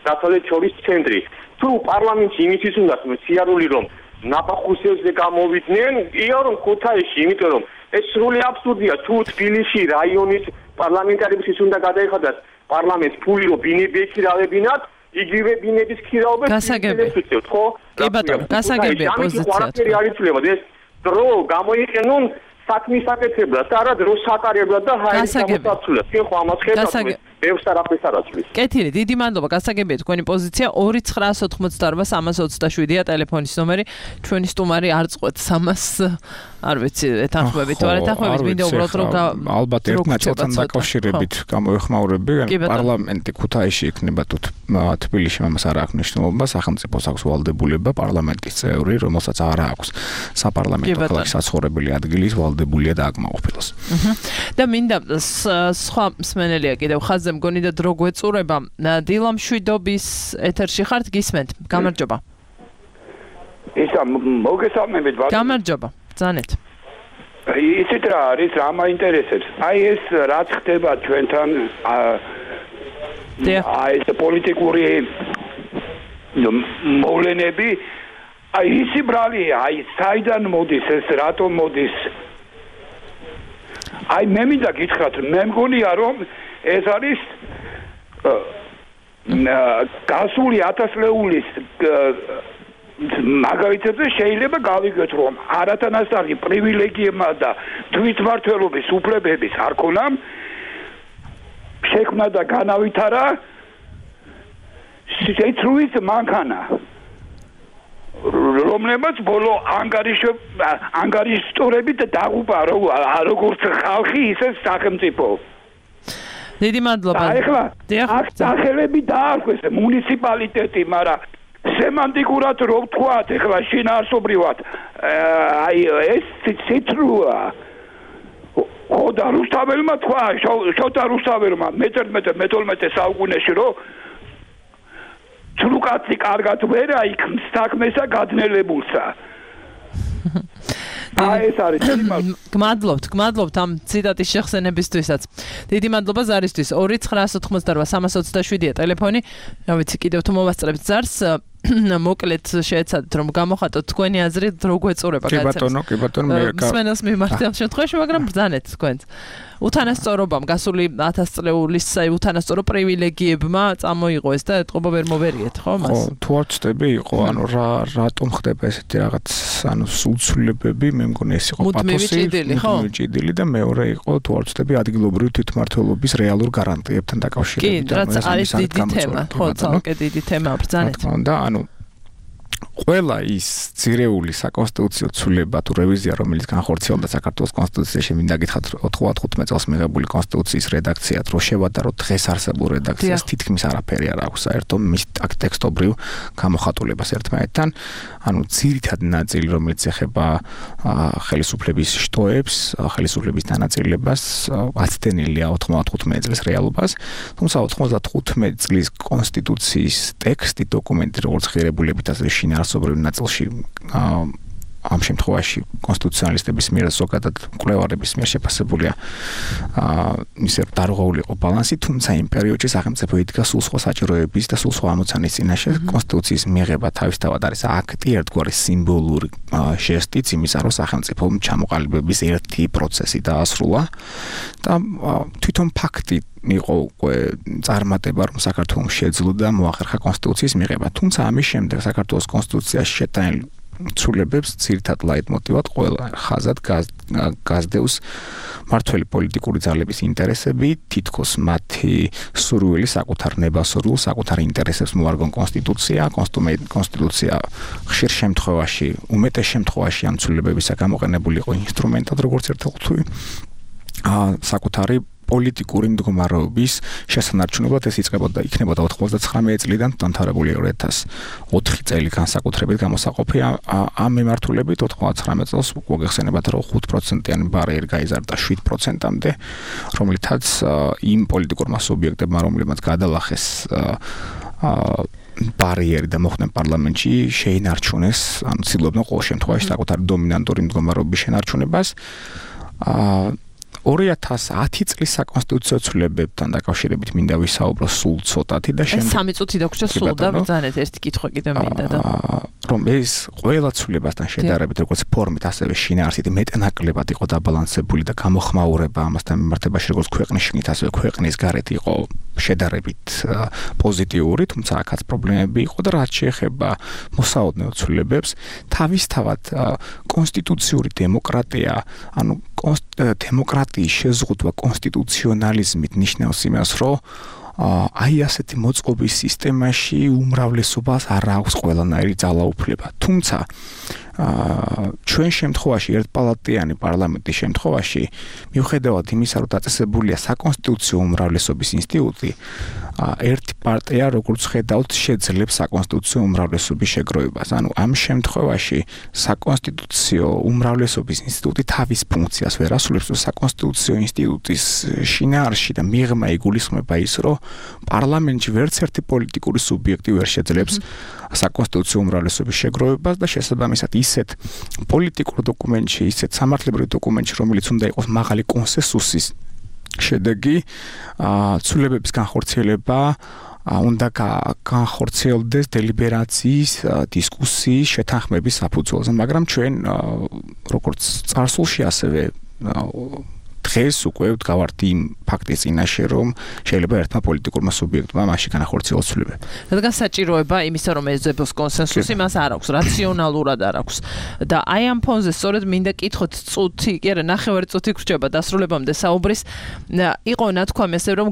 დასავლეთ შორის ცენტრი. თუ პარლამენტში იმისთვის უნდა სიარული რომ ნაფახუსებზე გამოვიდნენ, ია რომ ქუთაისში, იმიტომ რომ ეს სრული აბსურდია. თუ თბილისში რაიონის პარლამენტარებისთვის უნდა გადაიხადოს პარლამენტს ფული რომ ბინები ექირავებინათ, იგივე ბინების ქირავება გასაგებია, ხო? კი ბატონო, გასაგებია პოზიცია. არის ცვლილება, ეს დრო გამოიყენონ საქმის აკეთებლად და არა დროს ატარებლად და ჰაერის გამოსაცვლელად. კი ხო ამას ხედავთ? ბევრს არაფერს არ აცვლის. კეთილი, დიდი მადლობა, გასაგებია თქვენი პოზიცია 2988-327-ია ტელეფონის ნომერი. ჩვენი სტუმარი არ წყვეთ 300 არ ვიცი, ეთანხმებით თუ არ ეთანხმებით, მინდა უბრალოდ რომ ალბათ ერთ ნაწილთან დაკავშირებით გამოეხმაურები, პარლამენტი ქუთაისში იქნება თუ თბილისში ამას არ აქვს მნიშვნელობა, სახელმწიფოს აქვს ვალდებულება პარლამენტის წევრი, რომელსაც არ აქვს საპარლამენტო ქალაქის საცხოვრებელი ადგილის ვალდებულია დააკმაყოფილოს. და მინდა სხვა მსმენელია კიდევ ხაზზე მგონი და დრო გვეწურება. დილა მშვიდობის ეთერში ხართ, გისმენთ. გამარჯობა. ისა მოგესალმებით ბატონო. გამარჯობა. ბრძანეთ. იცით რა არის, რა მაინტერესებს? აი ეს რაც ხდება ჩვენთან აი ეს პოლიტიკური მოვლენები, აი ისი ბრალია, აი საიდან მოდის ეს, რატომ მოდის? აი მე მინდა გითხრათ, მე მგონია რომ ეს არის გასული 1000 ლეულის მაგალითებზე შეიძლება გავიგეთ რომ არათანასწორი პრივილეგიებმა და თვითმმართველობის უფლებების არ ქონა შექმნა და განავითარა შეცრულის მანქანა რომლებიც ბოლო ანგარიშტორებით დაღუპა როგორც ხალხი ისე სახელმწიფო. დიდი მადლობა. ახლა აქ სახელები დაარქვეს მუნიციპალიტეტი, მაგრამ სემანტიკურად რო ვთქვათ, ახლა შინაარსობრივად აი ეს ციტრუა ხო და რუსთაველმა თქვა, შოთა რუსთაველმა მე-12 საუკუნეში რომ ცრუკაცი კარგად ვერ აიქმს საქმესა გადნელებულსა. აი ეს არის გმადლობთ ამ ციტატის შეხსენებისთვისაც. დიდი მადლობა ზარისთვის. 2988-327-ია ტელეფონი. რა ვიცი, კიდევ თუ მოვასწრებთ ზარს, მოკლედ შეეცადეთ რომ გამოხატოთ თქვენი აზრი, დრო გვეწურება გაიცემს. კი ბატონო, მე მსმენელს მიმართ ამ შემთხვევაში, მაგრამ ბრძანეთ თქვენც. უთანასწორობამ გასული 1000 წლეულის უთანასწორო პრივილეგიებმა წამოიღო ეს და ეთყობა ვერ მოვერიეთ, ხო მას? ხო, თუ არ ვწდები, იყო, ანუ რატომ ხდება ესეთი რაღაც, ანუ სულცვლილებები, მე მგონი ეს იყო პათოსი, მუდმივი და მეორე იყო, თუ არ ვწდები, ადგილობრივი თვითმმართველობის რეალურ გარანტიებთან დაკავშირებით. კი, რაც არის დიდი თემა, ხო, ცალკე დიდი თემა, ბრძანეთ. და ანუ ყველა ის ძირეული საკონსტიტუციო ცვლილება თუ რევიზია, რომელიც განხორციელდა საქართველოს კონსტიტუციაში, მინდა გითხრათ 95 წელს მიღებული კონსტიტუციის რედაქციად, რომ შევადაროთ დღეს არსებულ რედაქციას, თითქმის არაფერი არ აქვს საერთო მის ტექსტობრივ გამოხატულებას ერთმანეთთან. ანუ ძირითადი ნაწილი, რომელიც ეხება ხელისუფლების შტოებს, ხელისუფლების დანაწილებას, აცდენილია 95 წლის რეალობას, თუმცა 95 წლის კონსტიტუციის ტექსტი, დოკუმენტი, როგორც ღირებულებითაც შინაარსობრივ ნაწილში ამ შემთხვევაში კონსტიტუციონალისტების მიერ ზოგადად მკვლევარების მიერ შეფასებულია ისე დარღვეული იყო ბალანსი, თუმცა იმ პერიოდში სახელმწიფო იდგა სულ სხვა საჭიროების და სულ სხვა ამოცანის წინაშე. კონსტიტუციის მიღება თავისთავად არის აქტი, ერთგვარი სიმბოლური ჟესტიც იმისა, რომ სახელმწიფო ჩამოყალიბების ერთი პროცესი დაასრულა და თვითონ ფაქტი იყო უკვე წარმატება, რომ საქართველოს შეძლო და მოახერხა კონსტიტუციის მიღება. თუმცა ამის შემდეგ საქართველოს კონსტიტუციაში შეტანილი ცვლილებებს ძირითად ლაიტმოტივად ყველა ხაზად გასდევს მართველი პოლიტიკური ძალების ინტერესები, თითქოს მათი სურვილი საკუთარ ნებასურვილ, საკუთარ ინტერესებს მოარგონ კონსტიტუცია, კონსტიტუცია ხშირ შემთხვევაში, უმეტეს შემთხვევაში ამ ცვლილებებისა გამოყენებული იყო ინსტრუმენტად, როგორც ერთ-ერთი საკუთარი პოლიტიკური მდგომარეობის შესანარჩუნებლად ეს იწყებოდა და იქნებოდა 99 წლიდან დამთავრებული 2004 წელი განსაკუთრებით გამოსაყოფი ამ მიმართულებით 99 წელს მოგეხსენებათ რომ 5%-იანი ბარიერი გაიზარდა 7%-მდე რომლითაც იმ პოლიტიკურმა სუბიექტებმა რომლებმაც გადალახეს ბარიერი და მოხვდნენ პარლამენტში შეინარჩუნეს ანუ ცდილობდნენ ყოველ შემთხვევაში საკუთარი დომინანტური მდგომარეობის შენარჩუნებას 2010 წლის საკონსტიტუციო ცვლილებებთან დაკავშირებით მინდა ვისაუბრო სულ ცოტათი და შემდეგ 3 წუთი დაგვრჩა სულ და ბრძანეთ ერთი კითხვა კიდე მინდა და რომ ეს ყველა ცვლილებასთან შედარებით როგორც ფორმით ასევე შინაარსით მეტნაკლებად იყო დაბალანსებული და გამოხმაურება ამასთან მიმართებაში როგორც ქვეყნის შინით ასევე ქვეყნის გარეთ იყო შედარებით პოზიტიური თუმცა აქაც პრობლემები იყო და რაც შეეხება მოსაოდნეო ცვლილებებს თავისთავად კონსტიტუციური დემოკრატია ანუ დემოკრატიის შეზღუდვა კონსტიტუციონალიზმით ნიშნავს იმას რომ აი ასეთი მოწყობის სისტემაში უმრავლესობას არ აქვს ყველანაირი ძალაუფლება თუმცა ჩვენ შემთხვევაში ერთპალატიანი პარლამენტის შემთხვევაში მიუხედავად იმისა რომ დაწესებულია საკონსტიტუციო უმრავლესობის ინსტიტუტი ერთი პარტია როგორც ხედავთ შეძლებს საკონსტიტუციო უმრავლესობის შეგროვებას ანუ ამ შემთხვევაში საკონსტიტუციო უმრავლესობის ინსტიტუტი თავის ფუნქციას ვერ ასრულებს საკონსტიტუციო ინსტიტუტის შინაარსში და მიღმა იგულისხმება ის რომ პარლამენტში ვერც ერთი პოლიტიკური სუბიექტი ვერ შეძლებს საკონსტიტუციო უმრავლესობის შეგროვებას და შესაბამისად ისეთ პოლიტიკურ დოკუმენტში, ისეთ სამართლებრივ დოკუმენტში, რომელიც უნდა იყოს მაღალი კონსენსუსის შედეგი, ცვლილებების განხორციელება უნდა განხორციელდეს დელიბერაციის, დისკუსიის, შეთანხმების საფუძველზე, მაგრამ ჩვენ როგორც წარსულში ასევე დღეს უკვე ვდგავართ იმ ფაქტის წინაშე, რომ შეიძლება ერთმა პოლიტიკურმა სუბიექტმა მასში განახორციელოს ცვლილებები. რადგან საჭიროება იმისა, რომ ეძებოს კონსენსუსი, მას არ აქვს, რაციონალურად არ აქვს. და აი ამ ფონზე სწორედ მინდა კითხოთ წუთი, კი არა, ნახევარი წუთი გრჩება დასრულებამდე საუბრის. იყო ნათქვამი ასე, რომ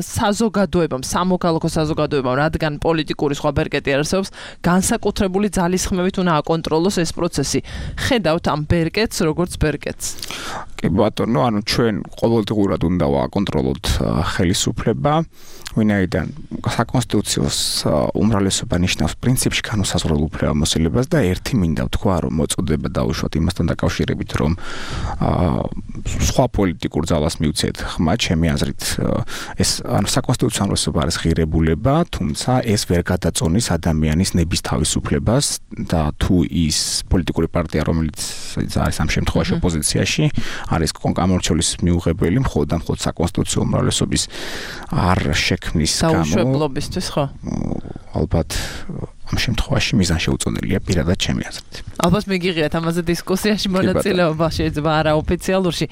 საზოგადოებამ, სამოქალაქო საზოგადოებამ, რადგან პოლიტიკური სხვა ბერკეტი არ არსებობს, განსაკუთრებული ძალისხმევით უნდა აკონტროლოს ეს პროცესი. ხედავთ ამ ბერკეტს, როგორც ბერკეტს. კი ბატონო, ანუ ჩვენ ყოველდღურად უნდა ვაკონტროლოთ ხელისუფლება, ვინაიდან საკონსტიტუციო უმრავლესობა ნიშნავს პრინციპში განუსაზღვრელ უფლებამოსილებას და ერთი მინდა ვთქვა, რომ მოწოდება დაუშვათ იმასთან დაკავშირებით, რომ სხვა პოლიტიკურ ძალას მივცეთ ხმა, ჩემი აზრით, ეს ანუ საკონსტიტუციო უმრავლესობა არის ღირებულება, თუმცა ეს ვერ გადაწონის ადამიანის ნების თავისუფლებას და თუ ის პოლიტიკური პარტია, რომელიც არის ამ შემთხვევაში ოპოზიციაში, არის გამორჩეულის მიუღებელი მხოლოდ და მხოლოდ საკონსტიტუციო უმრავლესობის არ შექმნის გამო დაუშვებლობისთვის ხო? ალბათ ამ შემთხვევაში მიზან შეუწოდელია პირადად ჩემი აზრით. ალბათ მიგიღიათ ამაზე დისკუსიაში მონაწილეობა შეიძლება არაოფიციალურში.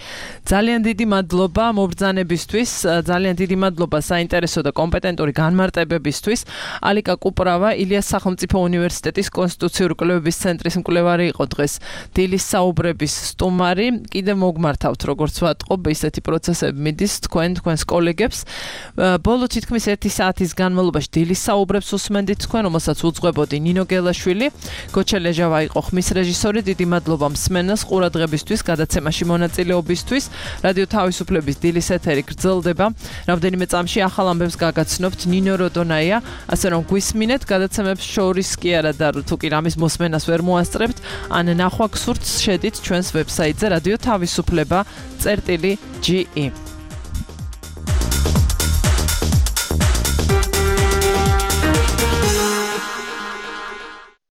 ძალიან დიდი მადლობა მობრძანებისთვის, ძალიან დიდი მადლობა საინტერესო და კომპეტენტური განმარტებებისთვის. ალიკა კუპრავა, ილიას სახელმწიფო უნივერსიტეტის კონსტიტუციური კვლევების ცენტრის მკვლევარი იყო დღეს. დილის საუბრების სტუმარი. კიდე მოგმართავთ, როგორც ვატყობ, ისეთი პროცესები მიდის თქვენს კოლეგებს. ბოლო თითქმის 1 საათის განმავლობაში დილის საუბრებს უსმენდით თქვენ, რომელსაც უძღვებოდი ნინო გელაშვილი, გოჩელეჟავა იყო ხმის რეჟისორი. დიდი მადლობა მსმენელს ყურადღებისთვის, გადაცემაში მონაწილეობისთვის. რადიო თავისუფლების დილის ეთერი გრძელდება. რამდენიმე წამში ახალ ამბებს გაგაცნობთ. ნინო როდონაია, ასე რომ გვისმინეთ გადაცემებს შორის კი არა და თუ კი რამის მოსმენას ვერ მოასწრებთ, ან ნახვა გსურთ, შედით ჩვენს ვებსაიტზე radio tavisupleba.ge